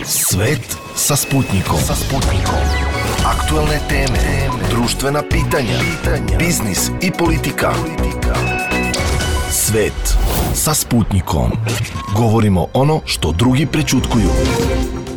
Svet sa Sputnikom. Aktuelne teme, društvena pitanja, biznis i politika. Svet sa Sputnikom. Govorimo ono što drugi prećutkuju.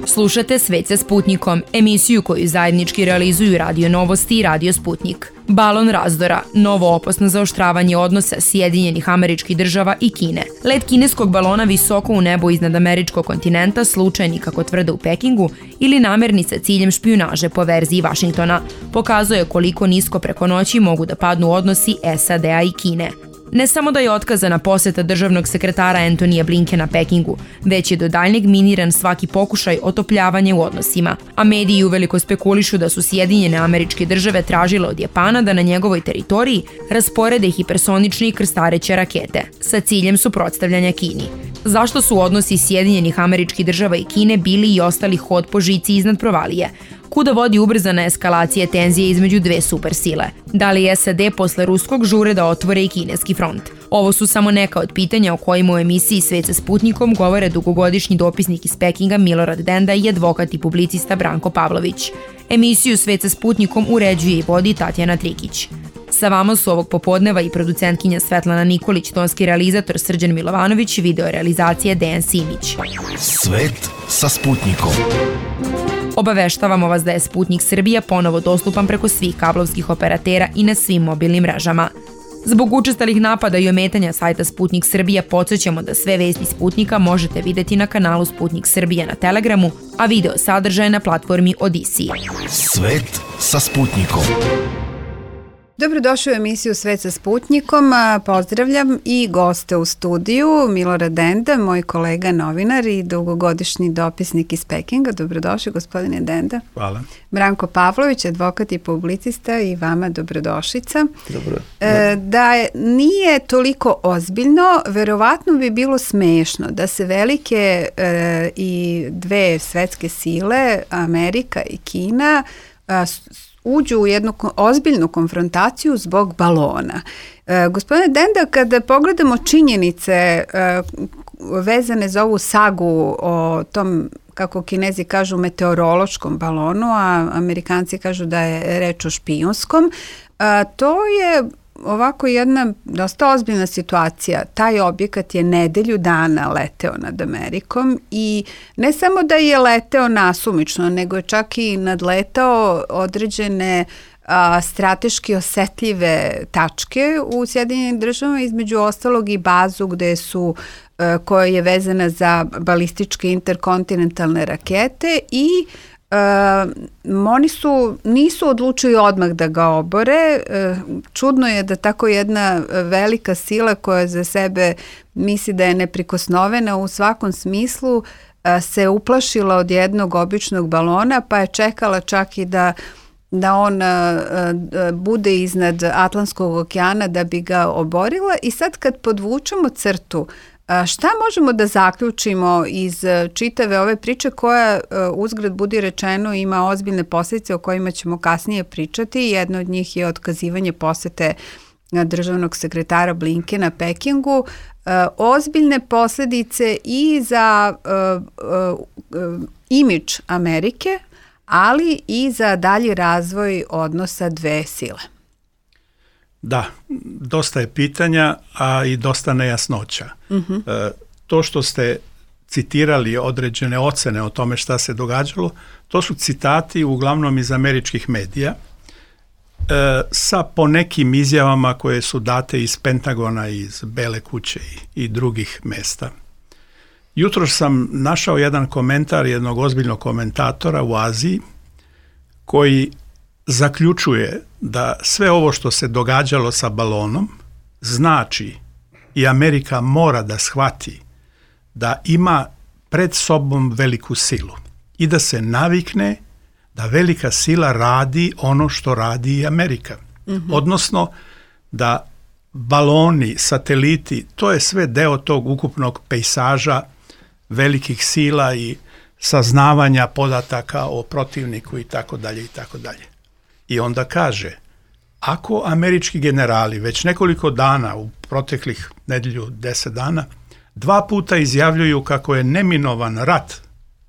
Slušate Svet sa Sputnikom, emisiju koju zajednički realizuju Radio Novosti i Radio Sputnik. Balon razdora, novo opasno zaoštravanje odnosa Sjedinjenih Američkih Država i Kine. Let kineskog balona visoko u nebo iznad američkog kontinenta, slučajni kako tvrde u Pekingu, ili namerni sa ciljem špijunaže po verziji Vašingtona, pokazuje koliko nisko preko noći mogu da padnu odnosi SAD-a i Kine. Ne samo da je otkazana poseta državnog sekretara Antonija Blinkena Pekingu, već je do daljnjeg miniran svaki pokušaj otopljavanja u odnosima, a mediji uveliko spekulišu da su Sjedinjene Američke Države tražile od Japana da na njegovoj teritoriji rasporede hipersonične i krstareće rakete, sa ciljem suprotstavljanja Kini. Zašto su odnosi Sjedinjenih Američkih Država i Kine bili i ostali hod po žici iznad provalije? Kuda vodi ubrzana eskalacija tenzije između dve supersile? Da li SAD posle ruskog žure da otvore i kineski front? Ovo su samo neka od pitanja o kojima u emisiji Svet sa Sputnikom govore dugogodišnji dopisnik iz Pekinga Milorad Denda i advokat i publicista Branko Pavlović. Emisiju Svet sa Sputnikom uređuje i vodi Tatjana Trikić. Sa vama su ovog popodneva i producentkinja Svetlana Nikolić, tonski realizator Srđan Milovanović, video realizacije Dejan Simić. Svet sa Sputnikom. Obaveštavamo vas da je Sputnik Srbija ponovo dostupan preko svih kablovskih operatera i na svim mobilnim mrežama. Zbog učestalih napada i ometanja sajta Sputnik Srbija podsjećamo da sve vesti Sputnika možete videti na kanalu Sputnik Srbija na Telegramu, a video sadržaj na platformi Odisiji. Svet sa Sputnikom. Dobrodošli u emisiju Svet sa Sputnikom. Pozdravljam i goste u studiju, Milorad Denda, moj kolega novinar i dugogodišnji dopisnik iz Pekinga. Dobrodošli, gospodine Denda. Hvala. Branko Pavlović, advokat i publicista, i vama dobrodošlica. Dobro. Da nije toliko ozbiljno, verovatno bi bilo smešno da se velike i dve svetske sile, Amerika i Kina, uđu u jednu ozbiljnu konfrontaciju zbog balona. Gospodine Denda, kada pogledamo činjenice vezane za ovu sagu o tom, kako Kinezi kažu, meteorološkom balonu, a Amerikanci kažu da je reč o špijunskom, to je ovako jedna dosta ozbiljna situacija. Taj objekat je nedelju dana leteo nad Amerikom i ne samo da je leteo nasumično, nego je čak i nadletao određene strateški osetljive tačke u Sjedinjenim Državama, između ostalog i bazu koja je vezana za balističke interkontinentalne rakete, i oni nisu odlučili odmah da ga obore. Čudno je da tako jedna velika sila koja za sebe misli da je neprikosnovena u svakom smislu se uplašila od jednog običnog balona, pa je čekala čak i da on bude iznad Atlantskog okeana da bi ga oborila. I sad kad podvučemo crtu, šta možemo da zaključimo iz čitave ove priče koja, uzgred budi rečeno, ima ozbiljne posljedice o kojima ćemo kasnije pričati? Jedno od njih je otkazivanje posete državnog sekretara Blinkena Pekingu. Ozbiljne posljedice i za imidž Amerike, ali i za dalji razvoj odnosa dve sile. Da, dosta je pitanja, a i dosta nejasnoća. To što ste citirali određene ocene o tome šta se događalo, to su citati uglavnom iz američkih medija, sa ponekim izjavama koje su date iz Pentagona, iz Bele kuće i drugih mesta. Jutro sam našao jedan komentar jednog ozbiljnog komentatora u Aziji koji zaključuje da sve ovo što se događalo sa balonom znači, i Amerika mora da shvati, da ima pred sobom veliku silu i da se navikne da velika sila radi ono što radi i Amerika. Odnosno da baloni, sateliti, to je sve deo tog ukupnog pejsaža velikih sila i saznavanja podataka o protivniku i tako dalje i tako dalje. I onda kaže, ako američki generali već nekoliko dana, u proteklih nedelju 10 dana, 2 puta izjavljuju kako je neminovan rat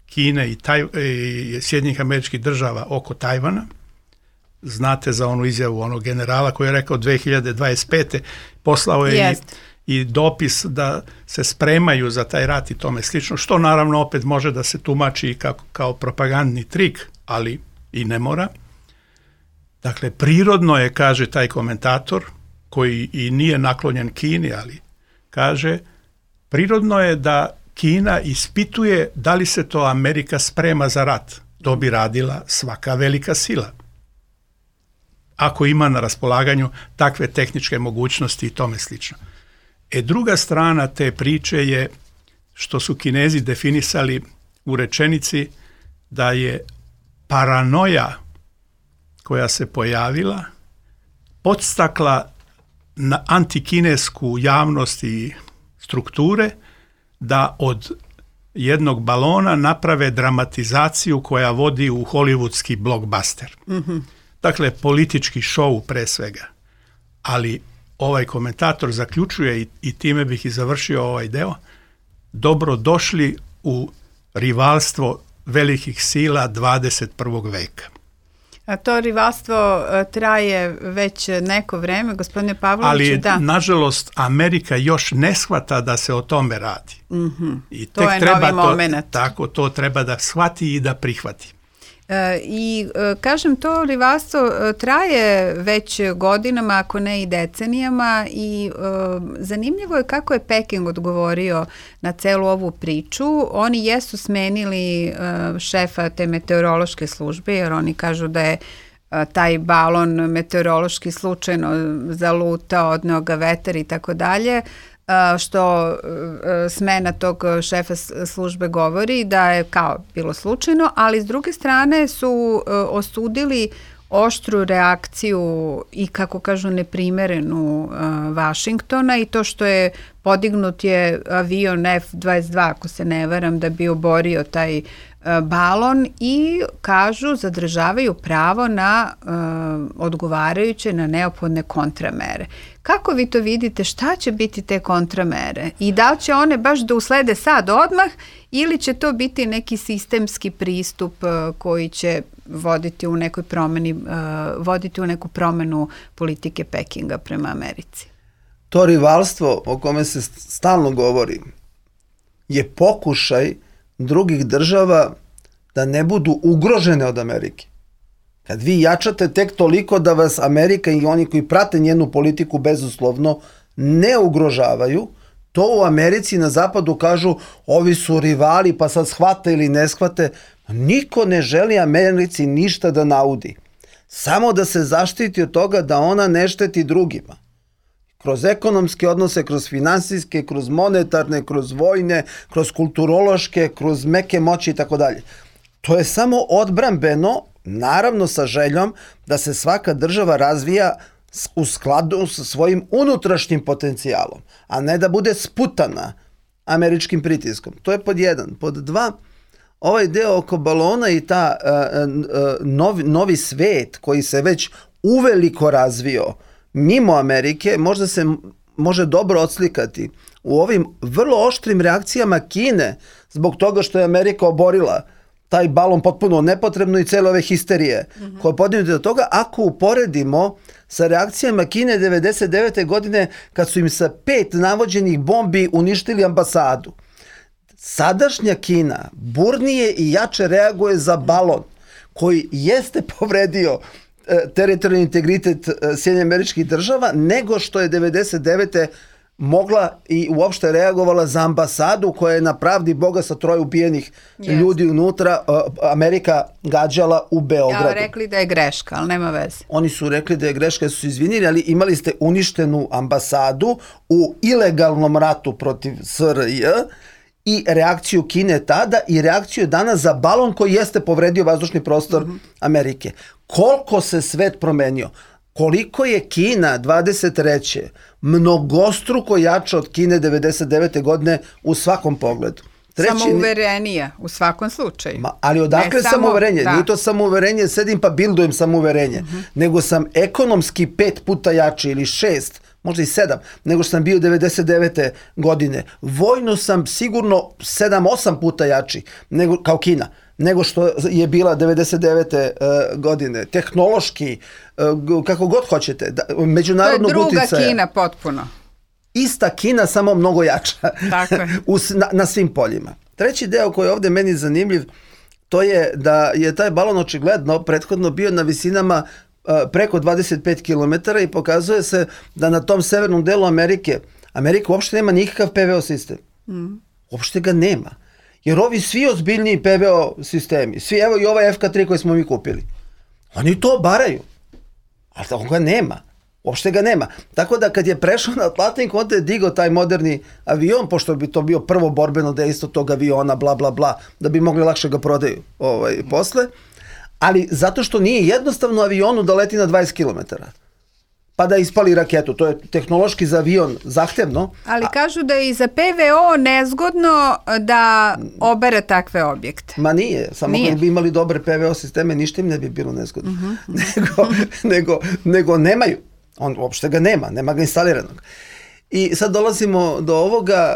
Kine i Sjedinjenih Američkih Država oko Tajvana. Znate za onu izjavu onog generala koji je rekao 2025. poslao je i dopis da se spremaju za taj rat i tome slično, što naravno opet može da se tumači kao propagandni trik, ali i ne mora. Dakle, prirodno je, kaže taj komentator, koji i nije naklonjen Kini, ali kaže, prirodno je da Kina ispituje da li se to Amerika sprema za rat. To bi radila svaka velika sila, ako ima na raspolaganju takve tehničke mogućnosti i tome slično. Druga strana te priče je što su Kinezi definisali u rečenici da je paranoja koja se pojavila podstakla na antikinesku javnost i strukture da od jednog balona naprave dramatizaciju koja vodi u hollywoodski blockbuster. Dakle, politički šou pre svega. Ali ovaj komentator zaključuje, i time bih i završio ovaj deo, dobro došli u rivalstvo velikih sila 21. veka. A to rivalstvo traje već neko vreme, gospodine Pavloviću. Ali, nažalost, Amerika još ne shvata da se o tome radi. I to je novi moment. Tako, to treba da shvati i da prihvati. I kažem, to rivalstvo traje već godinama, ako ne i decenijama, i zanimljivo je kako je Peking odgovorio na celu ovu priču. Oni jesu smenili šefa te meteorološke službe, jer oni kažu da je taj balon meteorološki slučajno zalutao, odneo ga vetar i tako dalje, što smena tog šefa službe govori da je kao bilo slučajno, ali s druge strane su osudili oštru reakciju i, kako kažu, neprimerenu Vašingtona, i to što je podignut je avion F-22, ako se ne varam, da bi oborio taj balon, i kažu zadržavaju pravo na odgovarajuće, na neophodne kontramere. Kako vi to vidite, šta će biti te kontramere i da li će one baš da uslede sad odmah ili će to biti neki sistemski pristup koji će voditi u nekoj promeni, voditi u neku promenu politike Pekinga prema Americi? To rivalstvo o kome se stalno govori je pokušaj drugih država da ne budu ugrožene od Amerike. Kad vi jačate tek toliko da vas Amerika i oni koji prate njenu politiku bezuslovno ne ugrožavaju, to u Americi na zapadu kažu ovi su rivali pa sad shvate ili ne shvate. Niko ne želi Americi ništa da naudi. Samo da se zaštiti od toga da ona ne šteti drugima. Kroz ekonomske odnose, kroz finansijske, kroz monetarne, kroz vojne, kroz kulturološke, kroz meke moći i tako dalje. To je samo odbrambeno, naravno sa željom da se svaka država razvija u skladu sa svojim unutrašnjim potencijalom, a ne da bude sputana američkim pritiskom. To je pod jedan. Pod dva, ovaj deo oko balona i ta novi svet koji se već uveliko razvio mimo Amerike, možda se može dobro odslikati u ovim vrlo oštrim reakcijama Kine zbog toga što je Amerika oborila taj balon potpuno nepotrebno i cele ove histerije koje podignute do toga, ako uporedimo sa reakcijama Kine 99. godine kad su im sa 5 navođenih bombi uništili ambasadu. Sadašnja Kina burnije i jače reaguje za balon koji jeste povredio teritorijalni integritet Sjedinjenih Američkih Država, nego što je 99. mogla i uopšte reagovala za ambasadu koja je na pravdi Boga sa 3 ubijenih ljudi unutra Amerika gađala u Beogradu. Ja, rekli da je greška, ali nema veze. Oni su rekli da je greška, su izvinili, ali imali ste uništenu ambasadu u ilegalnom ratu protiv SRJ i reakciju Kine tada i reakciju danas za balon koji jeste povredio vazdušni prostor Amerike. Koliko se svet promenio? Koliko je Kina 23. mnogostruko jača od Kine 99. godine u svakom pogledu. Samouverenija u svakom slučaju. Ali odakle samouverenje? Da. Nije to samouverenje, sedim pa bildujem samouverenje, nego sam ekonomski 5 puta jači ili 6, možda i 7, nego što sam bio 99. godine. Vojno sam sigurno 7-8 puta jači nego, kao Kina, nego što je bila 99. godine. Tehnološki, kako god hoćete, međunarodnog uticaja. To je druga Kina potpuno. Ista Kina, samo mnogo jača. Tako je. na svim poljima. Treći deo koji je ovdje meni zanimljiv, to je da je taj balon očigledno prethodno bio na visinama preko 25 km i pokazuje se da na tom severnom delu Amerika uopšte nema nikakav PVO sistem. Uopšte ga nema. Jer ovi svi ozbiljniji PVO sistemi, svi, evo i ovaj FK3 koji smo mi kupili, oni to obaraju. Ali on ga nema. Uopšte ga nema. Tako da kad je prešao na Atlantik, onda je digao taj moderni avion, pošto bi to bio prvo borbeno dejstvo tog aviona, bla, bla, bla, da bi mogli lakše ga prodaju posle. Ali zato što nije jednostavno avionu da leti na 20 km. Pa da ispali raketu. To je tehnološki za avion zahtevno. Ali kažu da je i za PVO nezgodno da obere takve objekte. Ma nije. Samo kad bi imali dobre PVO sisteme, ništa im ne bi bilo nezgodno. Nego nemaju. On uopšte ga nema ga instaliranog. I sad dolazimo do ovoga,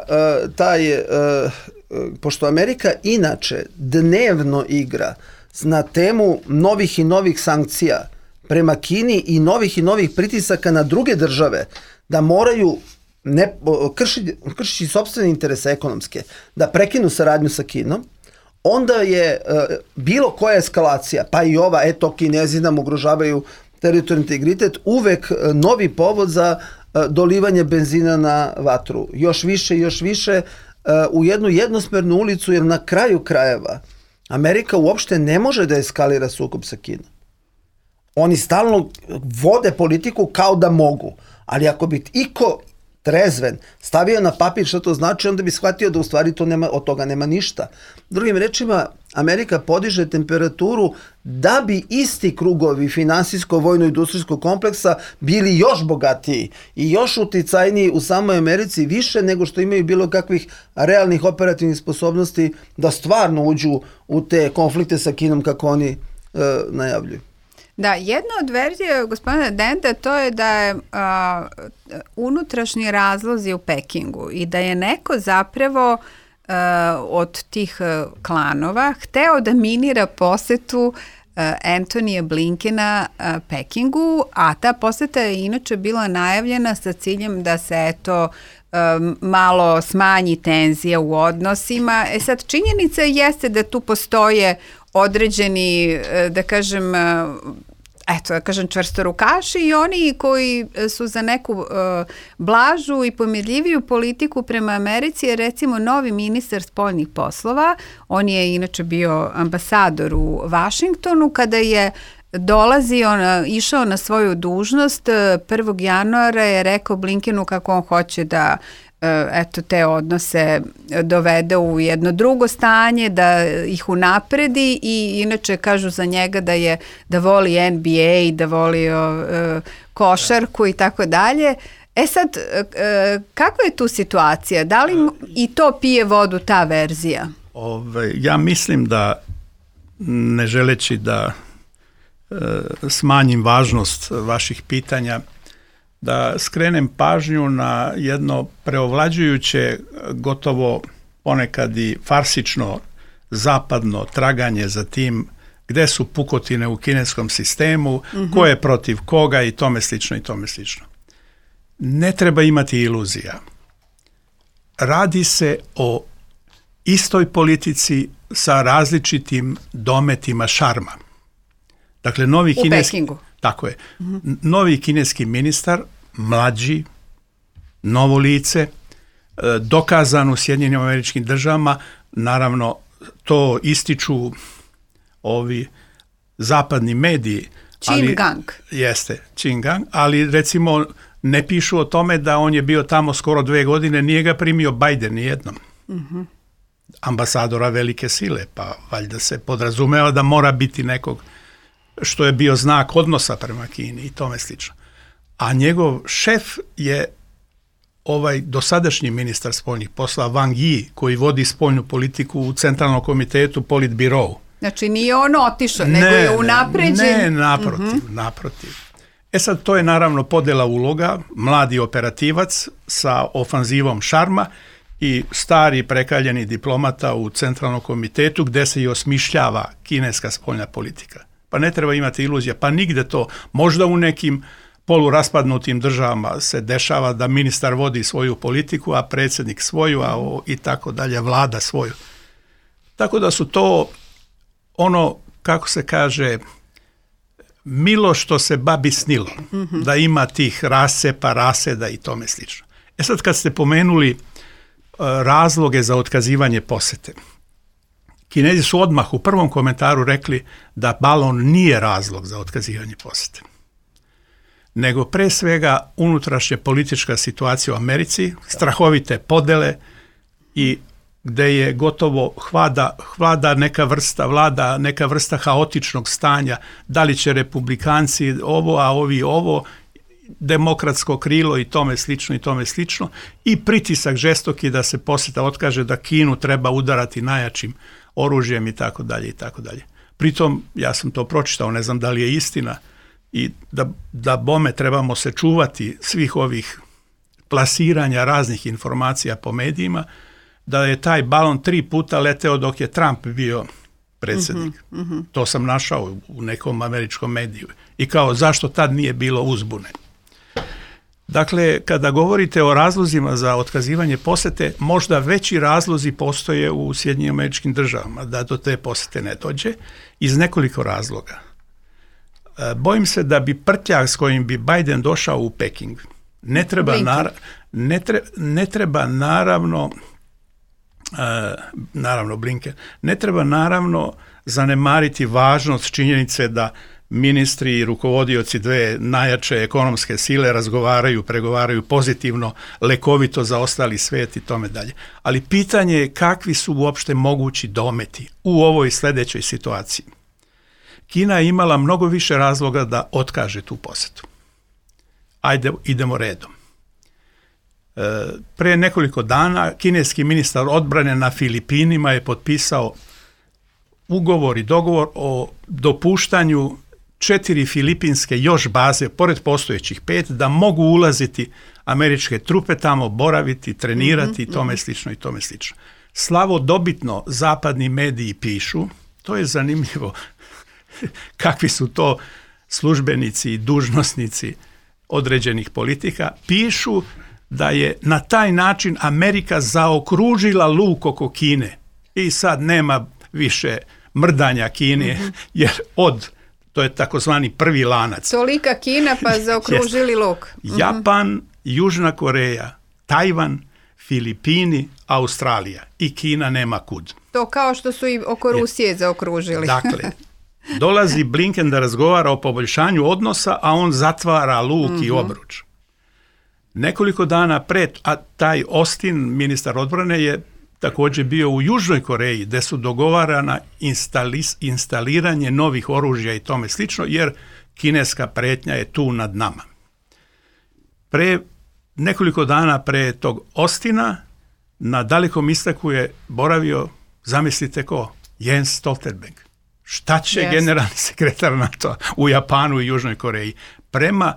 pošto Amerika inače dnevno igra na temu novih i novih sankcija prema Kini i novih pritisaka na druge države, da moraju kršiti sopstvene interese ekonomske, da prekinu saradnju sa Kinom, onda je bilo koja eskalacija, pa i ova, Kinezi nam ugrožavaju teritorijalni integritet, uvek novi povod za dolivanje benzina na vatru. Još više u jednu jednosmernu ulicu, jer na kraju krajeva Amerika uopšte ne može da eskalira sukob sa Kinom. Oni stalno vode politiku kao da mogu, ali ako bi iko trezven stavio na papir što to znači, onda bi shvatio da u stvari od toga nema ništa. Drugim rečima, Amerika podiže temperaturu da bi isti krugovi finansijsko-vojno-industrijskog kompleksa bili još bogatiji i još uticajniji u samoj Americi, više nego što imaju bilo kakvih realnih operativnih sposobnosti da stvarno uđu u te konflikte sa Kinom kako oni najavljuju. Da, jedna od verzija gospodina Denta to je da je unutrašnji razlozi u Pekingu i da je neko zapravo od tih klanova hteo da minira posetu Antonija Blinkena Pekingu, a ta poseta je inače bila najavljena sa ciljem da se malo smanji tenzija u odnosima. Sad, činjenica jeste da tu postoje određeni, da kažem čvrstorukaši i oni koji su za neku blažu i pomirljiviju politiku prema Americi, je recimo novi ministar spoljnih poslova, on je inače bio ambasador u Vašingtonu, kada je išao na svoju dužnost 1. januara je rekao Blinkenu kako on hoće da te odnose dovede u jedno drugo stanje, da ih unapredi i inače kažu za njega da voli NBA, da voli košarku i tako dalje. Sad, kakva je tu situacija? Da li i to pije vodu ta verzija? Ja mislim da, ne želeći da smanjim važnost vaših pitanja, da skrenem pažnju na jedno preovlađujuće, gotovo ponekad i farsično zapadno traganje za tim gde su pukotine u kineskom sistemu, ko je protiv koga i tome slično i tome slično. Ne treba imati iluzija. Radi se o istoj politici sa različitim dometima šarma. Dakle, novi kineski... Pekingu. Tako je. Novi kineski ministar, mlađi, novo lice, dokazan u Sjedinjenim Američkim Državama, naravno to ističu ovi zapadni mediji. Qin Gang. Jeste, Qin Gang, ali recimo ne pišu o tome da on je bio tamo skoro 2 godine, nije ga primio Biden nijednom. Ambasadora velike sile, pa valjda se podrazumeva da mora biti nekog što je bio znak odnosa prema Kini i tome slično. A njegov šef je ovaj dosadašnji ministar spoljnih poslova Wang Yi, koji vodi spoljnu politiku u Centralnom komitetu Politbirou. Znači nije on otišao, nego je unapređen. Ne, naprotiv. Sad, to je naravno podjela uloga, mladi operativac sa ofanzivom šarma i stari prekaljeni diplomata u centralnom komitetu gdje se i osmišljava kineska spoljna politika. Pa ne treba imati iluzija, pa nigde to, možda u nekim poluraspadnutim državama se dešava da ministar vodi svoju politiku, a predsjednik svoju, i tako dalje, vlada svoju. Tako da su to ono, kako se kaže, milo što se babi snilo, da ima tih rascepa, raseda i tome slično. Sad kad ste pomenuli razloge za otkazivanje posete, Kinezi su odmah u prvom komentaru rekli da balon nije razlog za otkazivanje posete, nego pre svega unutrašnja politička situacija u Americi, strahovite podele i gde je gotovo vlada neka vrsta haotičnog stanja, da li će republikanci ovo, a ovi ovo, demokratsko krilo i tome slično, i pritisak žestoki da se poseta otkaže, da Kinu treba udarati najjačim oružjem i tako dalje. Pritom, ja sam to pročitao, ne znam da li je istina, i da bome trebamo se čuvati svih ovih plasiranja raznih informacija po medijima, da je taj balon 3 puta leteo dok je Trump bio predsjednik. To sam našao u nekom američkom mediju. I kao, zašto tad nije bilo uzbune? Dakle, kada govorite o razlozima za otkazivanje posete, možda veći razlozi postoje u Sjedinjenim Američkim Državama da do te posete ne dođe, iz nekoliko razloga. Bojim se da bi prtljag s kojim bi Biden došao u Peking ne treba naravno zanemariti važnost činjenice da ministri i rukovodioci dve najjače ekonomske sile pregovaraju pozitivno, lekovito za ostali svijet i tome dalje. Ali pitanje je kakvi su uopšte mogući dometi u ovoj sljedećoj situaciji. Kina je imala mnogo više razloga da otkaže tu posetu. Ajde, idemo redom. Pre nekoliko dana kineski ministar odbrane na Filipinima je potpisao ugovor i dogovor o dopuštanju 4 filipinske još baze, pored postojećih 5, da mogu ulaziti američke trupe tamo, boraviti, trenirati i tome slično. Slavodobitno zapadni mediji pišu, to je zanimljivo, kakvi su to službenici i dužnosnici određenih politika, pišu da je na taj način Amerika zaokružila luk oko Kine i sad nema više mrdanja Kine, jer to je takozvani prvi lanac. Tolika Kina pa zaokružili luk. Japan, Južna Koreja, Tajvan, Filipini, Australija i Kina nema kud. To kao što su i oko Rusije zaokružili. Dakle, dolazi Blinken da razgovara o poboljšanju odnosa, a on zatvara luk i obruč. Nekoliko dana pred, a taj Austin, ministar odbrane, je također bio u Južnoj Koreji, gdje su dogovarana instaliranje novih oružja i tome slično, jer kineska pretnja je tu nad nama. Nekoliko dana pre tog Austina na Dalekom istoku je boravio, zamislite ko, Jens Stoltenberg. Šta će generalni sekretar NATO u Japanu i Južnoj Koreji? Prema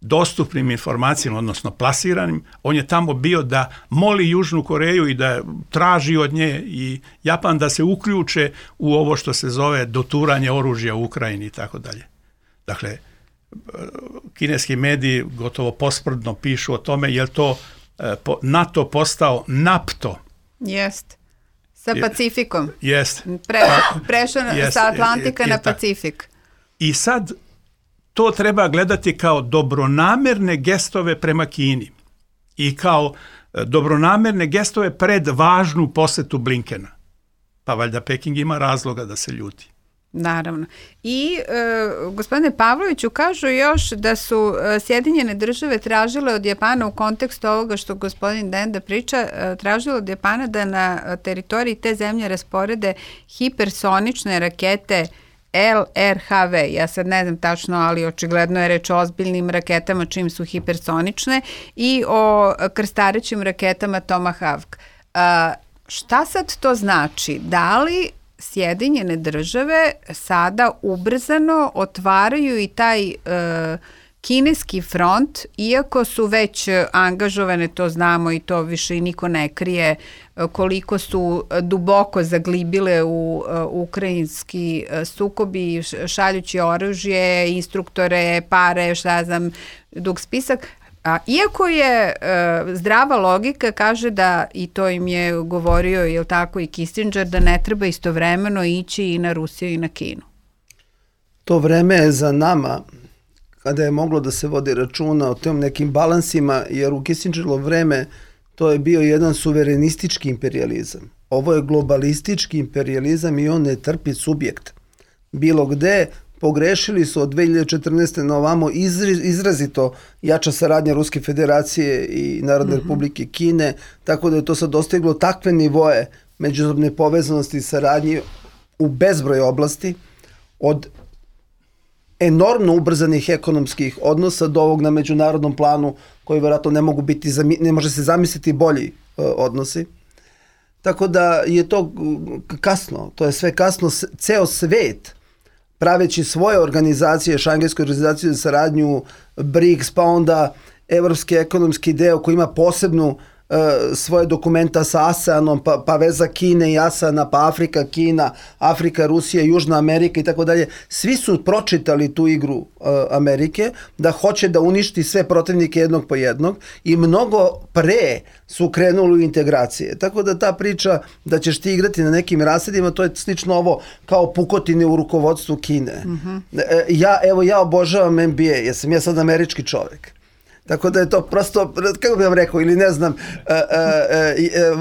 dostupnim informacijama, odnosno plasiranim, on je tamo bio da moli Južnu Koreju i da traži od nje i Japan da se uključe u ovo što se zove doturanje oružja u Ukrajini i tako dalje. Dakle, kineski mediji gotovo posprdno pišu o tome, je li to NATO postao NAPTO? Jest. Sa Pacifikom. Jest. Prešao sa Atlantika na Pacifik. I sad to treba gledati kao dobronamerne gestove prema Kini i kao dobronamerne gestove pred važnu posetu Blinkena. Pa valjda Peking ima razloga da se ljuti. Naravno. I gospodine Pavloviću, kažu još da su Sjedinjene Države tražile od Japana u kontekstu ovoga što gospodin Denda priča, tražile od Japana da na teritoriji te zemlje rasporede hipersonične rakete LRHV. Ja sad ne znam tačno, ali očigledno je reč o ozbiljnim raketama čim su hipersonične i o krstarećim raketama Tomahawk. Šta sad to znači? Da li Sjedinjene Države sada ubrzano otvaraju i taj kineski front, iako su već angažovane, to znamo i to više i niko ne krije, koliko su duboko zaglibile u ukrajinski sukobi, šaljući oružje, instruktore, pare, šta znam, dug spisak. A iako je zdrava logika, kaže da, i to im je govorio, je li tako, i Kissinger, da ne treba istovremeno ići i na Rusiju i na Kinu. To vreme je za nama, kada je moglo da se vodi računa o tim nekim balansima, jer u Kissingerovo vreme to je bio jedan suverenistički imperializam. Ovo je globalistički imperializam i on ne trpi subjekt. Bilo gde, pogrešili su od 2014. na ovamo izrazito jača saradnja Ruske federacije i Narodne republike Kine, tako da je to sad dostiglo takve nivoje međusobne povezanosti i saradnje u bezbroj oblasti, od enormno ubrzanih ekonomskih odnosa do ovog na međunarodnom planu koji vjerojatno ne može se zamisliti bolji odnosi. Tako da je to kasno, to je sve kasno, ceo svet praveći svoje organizacije, Šangajsku organizaciju za saradnju, BRICS, pa onda evropski ekonomski deo koji ima posebnu svoje dokumenta sa ASEANom, pa veza Kine i ASEANa, pa Afrika, Kina, Afrika, Rusija, Južna Amerika i tako dalje. Svi su pročitali tu igru Amerike, da hoće da uništi sve protivnike jednog po jednog i mnogo pre su krenuli u integracije. Tako da ta priča da ćeš ti igrati na nekim rasadima, to je slično ovo kao pukotine u rukovodstvu Kine. Ja obožavam NBA, jer sam ja sad američki čovjek. Tako da je to prosto, kako bih vam rekao, ili ne znam,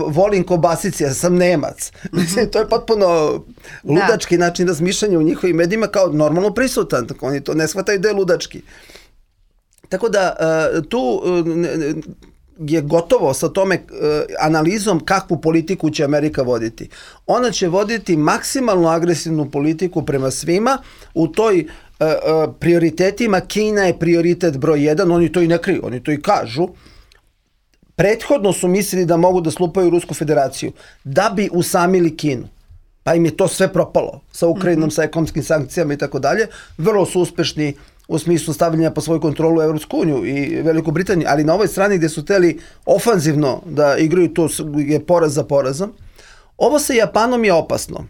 volim kobasice, ja sam Nemac. Mislim, to je potpuno ludački način razmišljanja u njihovim medijima kao normalno prisutan. Tako oni to ne shvataju da je ludački. Tako da tu je gotovo sa tome analizom kakvu politiku će Amerika voditi. Ona će voditi maksimalno agresivnu politiku prema svima u toj prioritetima. Kina je prioritet broj 1, oni to i ne kriju, oni to i kažu. Prethodno su mislili da mogu da slupaju Rusku federaciju da bi usamili Kinu. Pa im je to sve propalo sa Ukrajinom, sa ekonomskim sankcijama i tako dalje. Vrlo su uspešni u smislu stavljanja po svoju kontrolu Evropsku uniju i Veliku Britaniju, ali na ovoj strani gdje su teli ofanzivno da igraju, to je poraz za porazom. Ovo sa Japanom je opasno.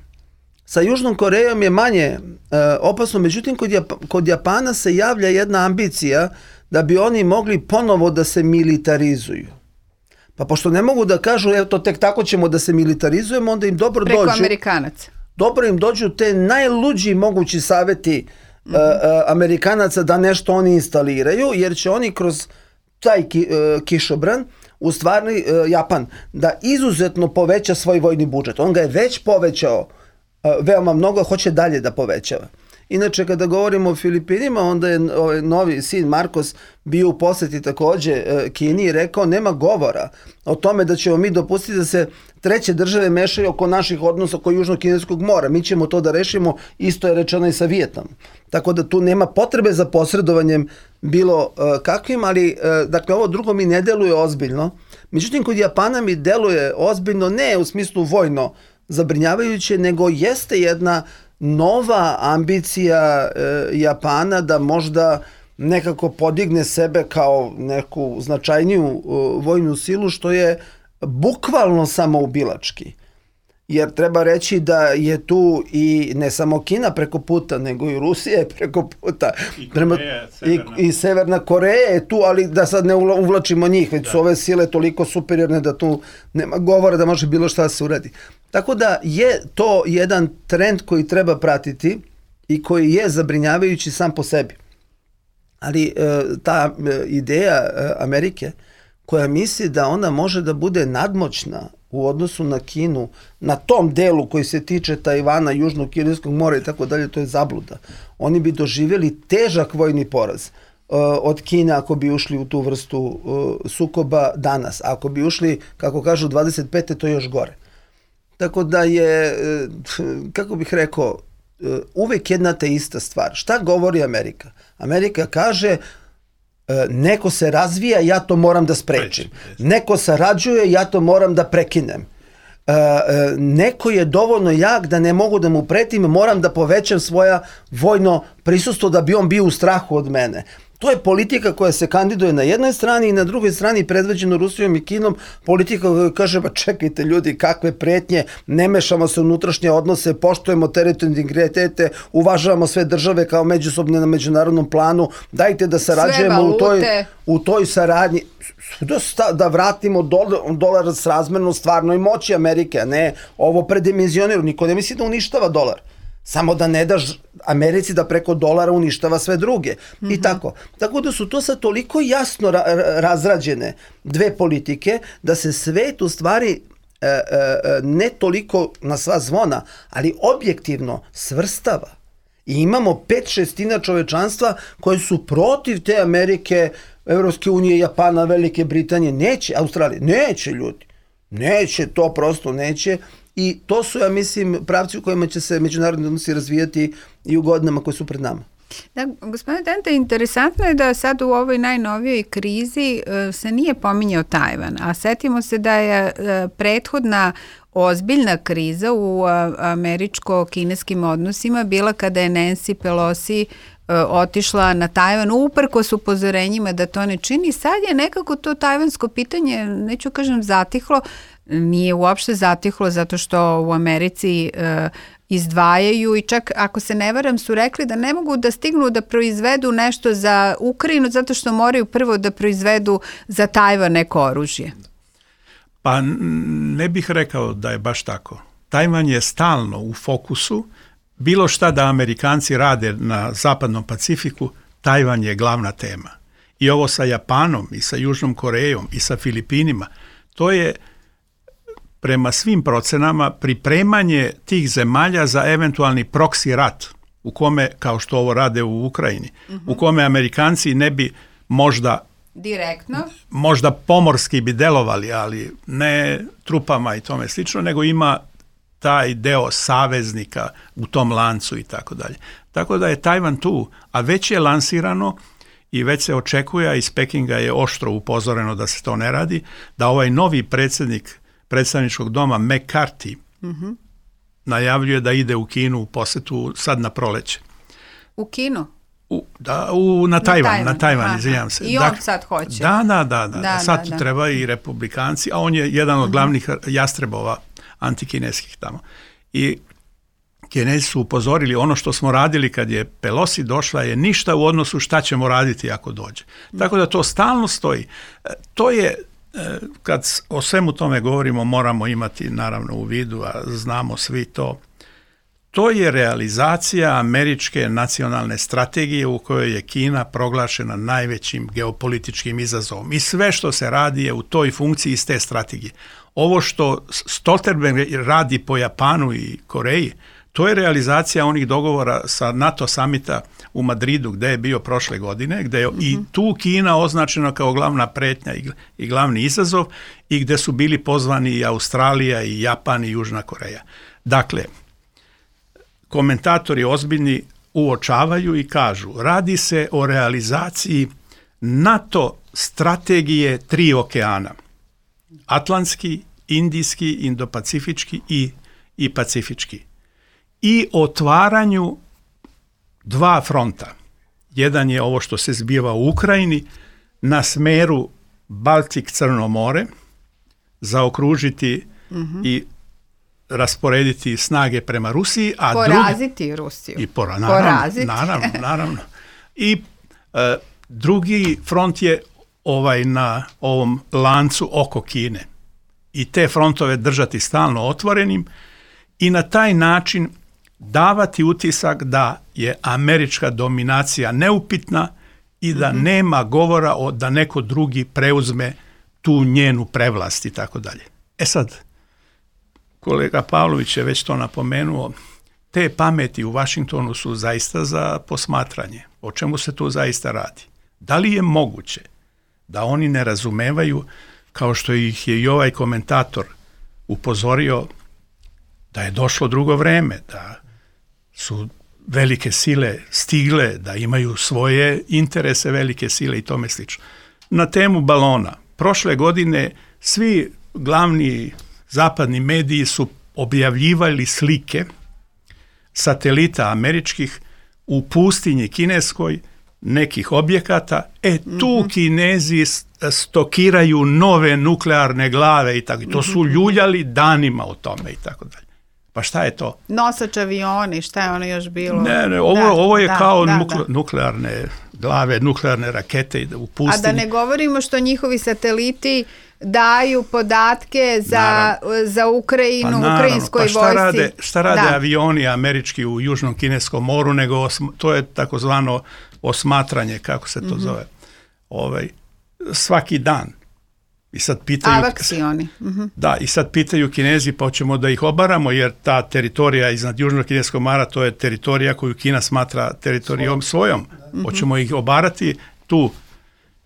Sa Južnom Korejom je manje opasno, međutim kod Japana se javlja jedna ambicija da bi oni mogli ponovo da se militarizuju. Pa pošto ne mogu da kažu, evo to tek tako ćemo da se militarizujemo, onda im dobro dođu. Preko Amerikanaca. Dobro im dođu te najluđi mogući savjeti Amerikanaca da nešto oni instaliraju, jer će oni kroz taj kišobran, u stvari Japan, da izuzetno poveća svoj vojni budžet. On ga je već povećao veoma mnogo, hoće dalje da povećava. Inače, kada govorimo o Filipinima, onda je novi sin Marcos bio u posjeti takođe Kini i rekao nema govora o tome da ćemo mi dopustiti da se treće države mešaju oko naših odnosa oko Južno-Kineskog mora. Mi ćemo to da rešimo, isto je rečeno i sa Vijetnamom. Tako da tu nema potrebe za posredovanjem bilo kakvim, ali dakle ovo drugo mi ne deluje ozbiljno. Međutim, kod Japana mi deluje ozbiljno, ne u smislu vojno zabrinjavajuće, nego jeste jedna nova ambicija Japana da možda nekako podigne sebe kao neku značajniju vojnu silu, što je bukvalno samoubilački. Jer treba reći da je tu i ne samo Kina preko puta, nego i Rusija je preko puta. I Severna Koreja je tu, ali da sad ne uvlačimo njih, već su ove sile toliko superiorne da tu nema govora da može bilo šta da se uradi. Tako da je to jedan trend koji treba pratiti i koji je zabrinjavajući sam po sebi. Ali ta ideja Amerike koja misli da ona može da bude nadmoćna u odnosu na Kinu, na tom delu koji se tiče Tajvana, Južnog Kineskog mora i tako dalje, to je zabluda. Oni bi doživjeli težak vojni poraz od Kine ako bi ušli u tu vrstu sukoba danas. Ako bi ušli, kako kažu, 25. to je još gore. Tako da je, kako bih rekao, uvek jedna te ista stvar. Šta govori Amerika? Amerika kaže neko se razvija, ja to moram da sprečim. Neko sarađuje, ja to moram da prekinem. Neko je dovoljno jak da ne mogu da mu pretim, moram da povećam svoja vojno prisustvo da bi on bio u strahu od mene. To je politika koja se kandiduje na jednoj strani i na drugoj strani predvođeno Rusijom i Kinom, politika koja kaže, pa čekajte ljudi, kakve pretnje, ne mešamo se u unutrašnje odnose, poštujemo teritorijalne integritete, uvažavamo sve države kao međusobne na međunarodnom planu, dajte da sarađujemo u toj saradnji, da vratimo dolar s razmerno stvarnoj moći Amerike, a ne ovo predimenzionirano. Niko ne misli da uništava dolar. Samo da ne daš Americi da preko dolara uništava sve druge. I tako. Tako da su to sad toliko jasno razrađene dve politike da se svet u stvari ne toliko na sva zvona, ali objektivno svrstava. I imamo 5/6 čovečanstva koji su protiv te Amerike, Evropske unije, Japana, Velike Britanije. Neće, Australije. Neće ljudi. Neće, to prosto neće. I to su, ja mislim, pravci u kojima će se međunarodni odnosi razvijati i u godinama koje su pred nama. Da, gospodine Dente, interesantno je da sad u ovoj najnovijoj krizi se nije pominjao Tajvan, a setimo se da je prethodna ozbiljna kriza u američko-kineskim odnosima bila kada je Nancy Pelosi otišla na Tajvan uprkos upozorenjima da to ne čini. Sad je nekako to tajvansko pitanje, neću kažem zatihlo, nije uopšte zatihlo zato što u Americi izdvajaju i čak ako se ne varam su rekli da ne mogu da stignu da proizvedu nešto za Ukrajinu zato što moraju prvo da proizvedu za Tajvan neko oružje. Pa ne bih rekao da je baš tako. Tajvan je stalno u fokusu. Bilo šta da Amerikanci rade na zapadnom Pacifiku, Tajvan je glavna tema. I ovo sa Japanom, i sa Južnom Korejom, i sa Filipinima, to je prema svim procenama pripremanje tih zemalja za eventualni proksi rat, u kome, kao što ovo rade u Ukrajini, u kome Amerikanci ne bi možda direktno, možda pomorski bi delovali, ali ne trupama i tome slično, nego ima taj deo saveznika u tom lancu i tako dalje. Tako da je Tajvan tu, a već je lansirano i već se očekuje, a iz Pekinga je oštro upozoreno da se to ne radi, da ovaj novi predsjednik predstavničkog doma McCarthy najavljuje da ide u Kinu u posetu sad na proleće. U Kinu? Na Tajvan, izvinjam se. I on sad hoće. Da. Sad treba i republikanci, a on je jedan od glavnih jastrebova antikineskih tamo. I Kinezi su upozorili, ono što smo radili kad je Pelosi došla je ništa u odnosu šta ćemo raditi ako dođe. Tako da to stalno stoji. To je, kad o svemu tome govorimo, moramo imati naravno u vidu, a znamo svi to, to je realizacija američke nacionalne strategije u kojoj je Kina proglašena najvećim geopolitičkim izazovom. I sve što se radi je u toj funkciji iz te strategije. Ovo što Stoltenberg radi po Japanu i Koreji, to je realizacija onih dogovora sa NATO samita u Madridu gdje je bio prošle godine, gdje je i tu Kina označena kao glavna pretnja i glavni izazov i gdje su bili pozvani i Australija i Japan i Južna Koreja. Dakle, komentatori ozbiljni uočavaju i kažu, radi se o realizaciji NATO strategije 3 okeana. Atlantski, Indijski, Indopacifički i Pacifički. I otvaranju 2 fronta. Jedan je ovo što se zbiva u Ukrajini, na smeru Baltik-Crno more, zaokružiti i rasporediti snage prema Rusiji, a poraziti Rusiju. I naravno. I drugi front je na ovom lancu oko Kine. I te frontove držati stalno otvorenim i na taj način davati utisak da je američka dominacija neupitna i da nema govora da neko drugi preuzme tu njenu prevlast i tako dalje. E sad, kolega Pavlović je već to napomenuo, te pameti u Washingtonu su zaista za posmatranje. O čemu se tu zaista radi? Da li je moguće da oni ne razumevaju, kao što ih je i ovaj komentator upozorio, da je došlo drugo vreme, da su velike sile stigle, da imaju svoje interese velike sile i tome slično. Na temu balona, prošle godine svi glavni zapadni mediji su objavljivali slike satelita američkih u pustinji kineskoj nekih objekata, tu Kinezi stokiraju nove nuklearne glave i tako. I to su ljuljali danima o tome i tako dalje. Pa šta je to? Nosač avioni, šta je ono još bilo? Ne, ovo je kao nuklearne glave, nuklearne rakete u pustinji. A da ne govorimo što njihovi sateliti daju podatke za Ukrajinu, ukrajinskoj vojsci. Šta rade avioni američki u Južnom Kineskom moru, nego to je takozvano osmatranje, kako se to zove, svaki dan. I sad pitaju, avaksioni. Da, i sad pitaju Kinezi, pa hoćemo da ih obaramo, jer ta teritorija iznad Južnog Kineskog mora, to je teritorija koju Kina smatra teritorijom svojom. Hoćemo ih obarati tu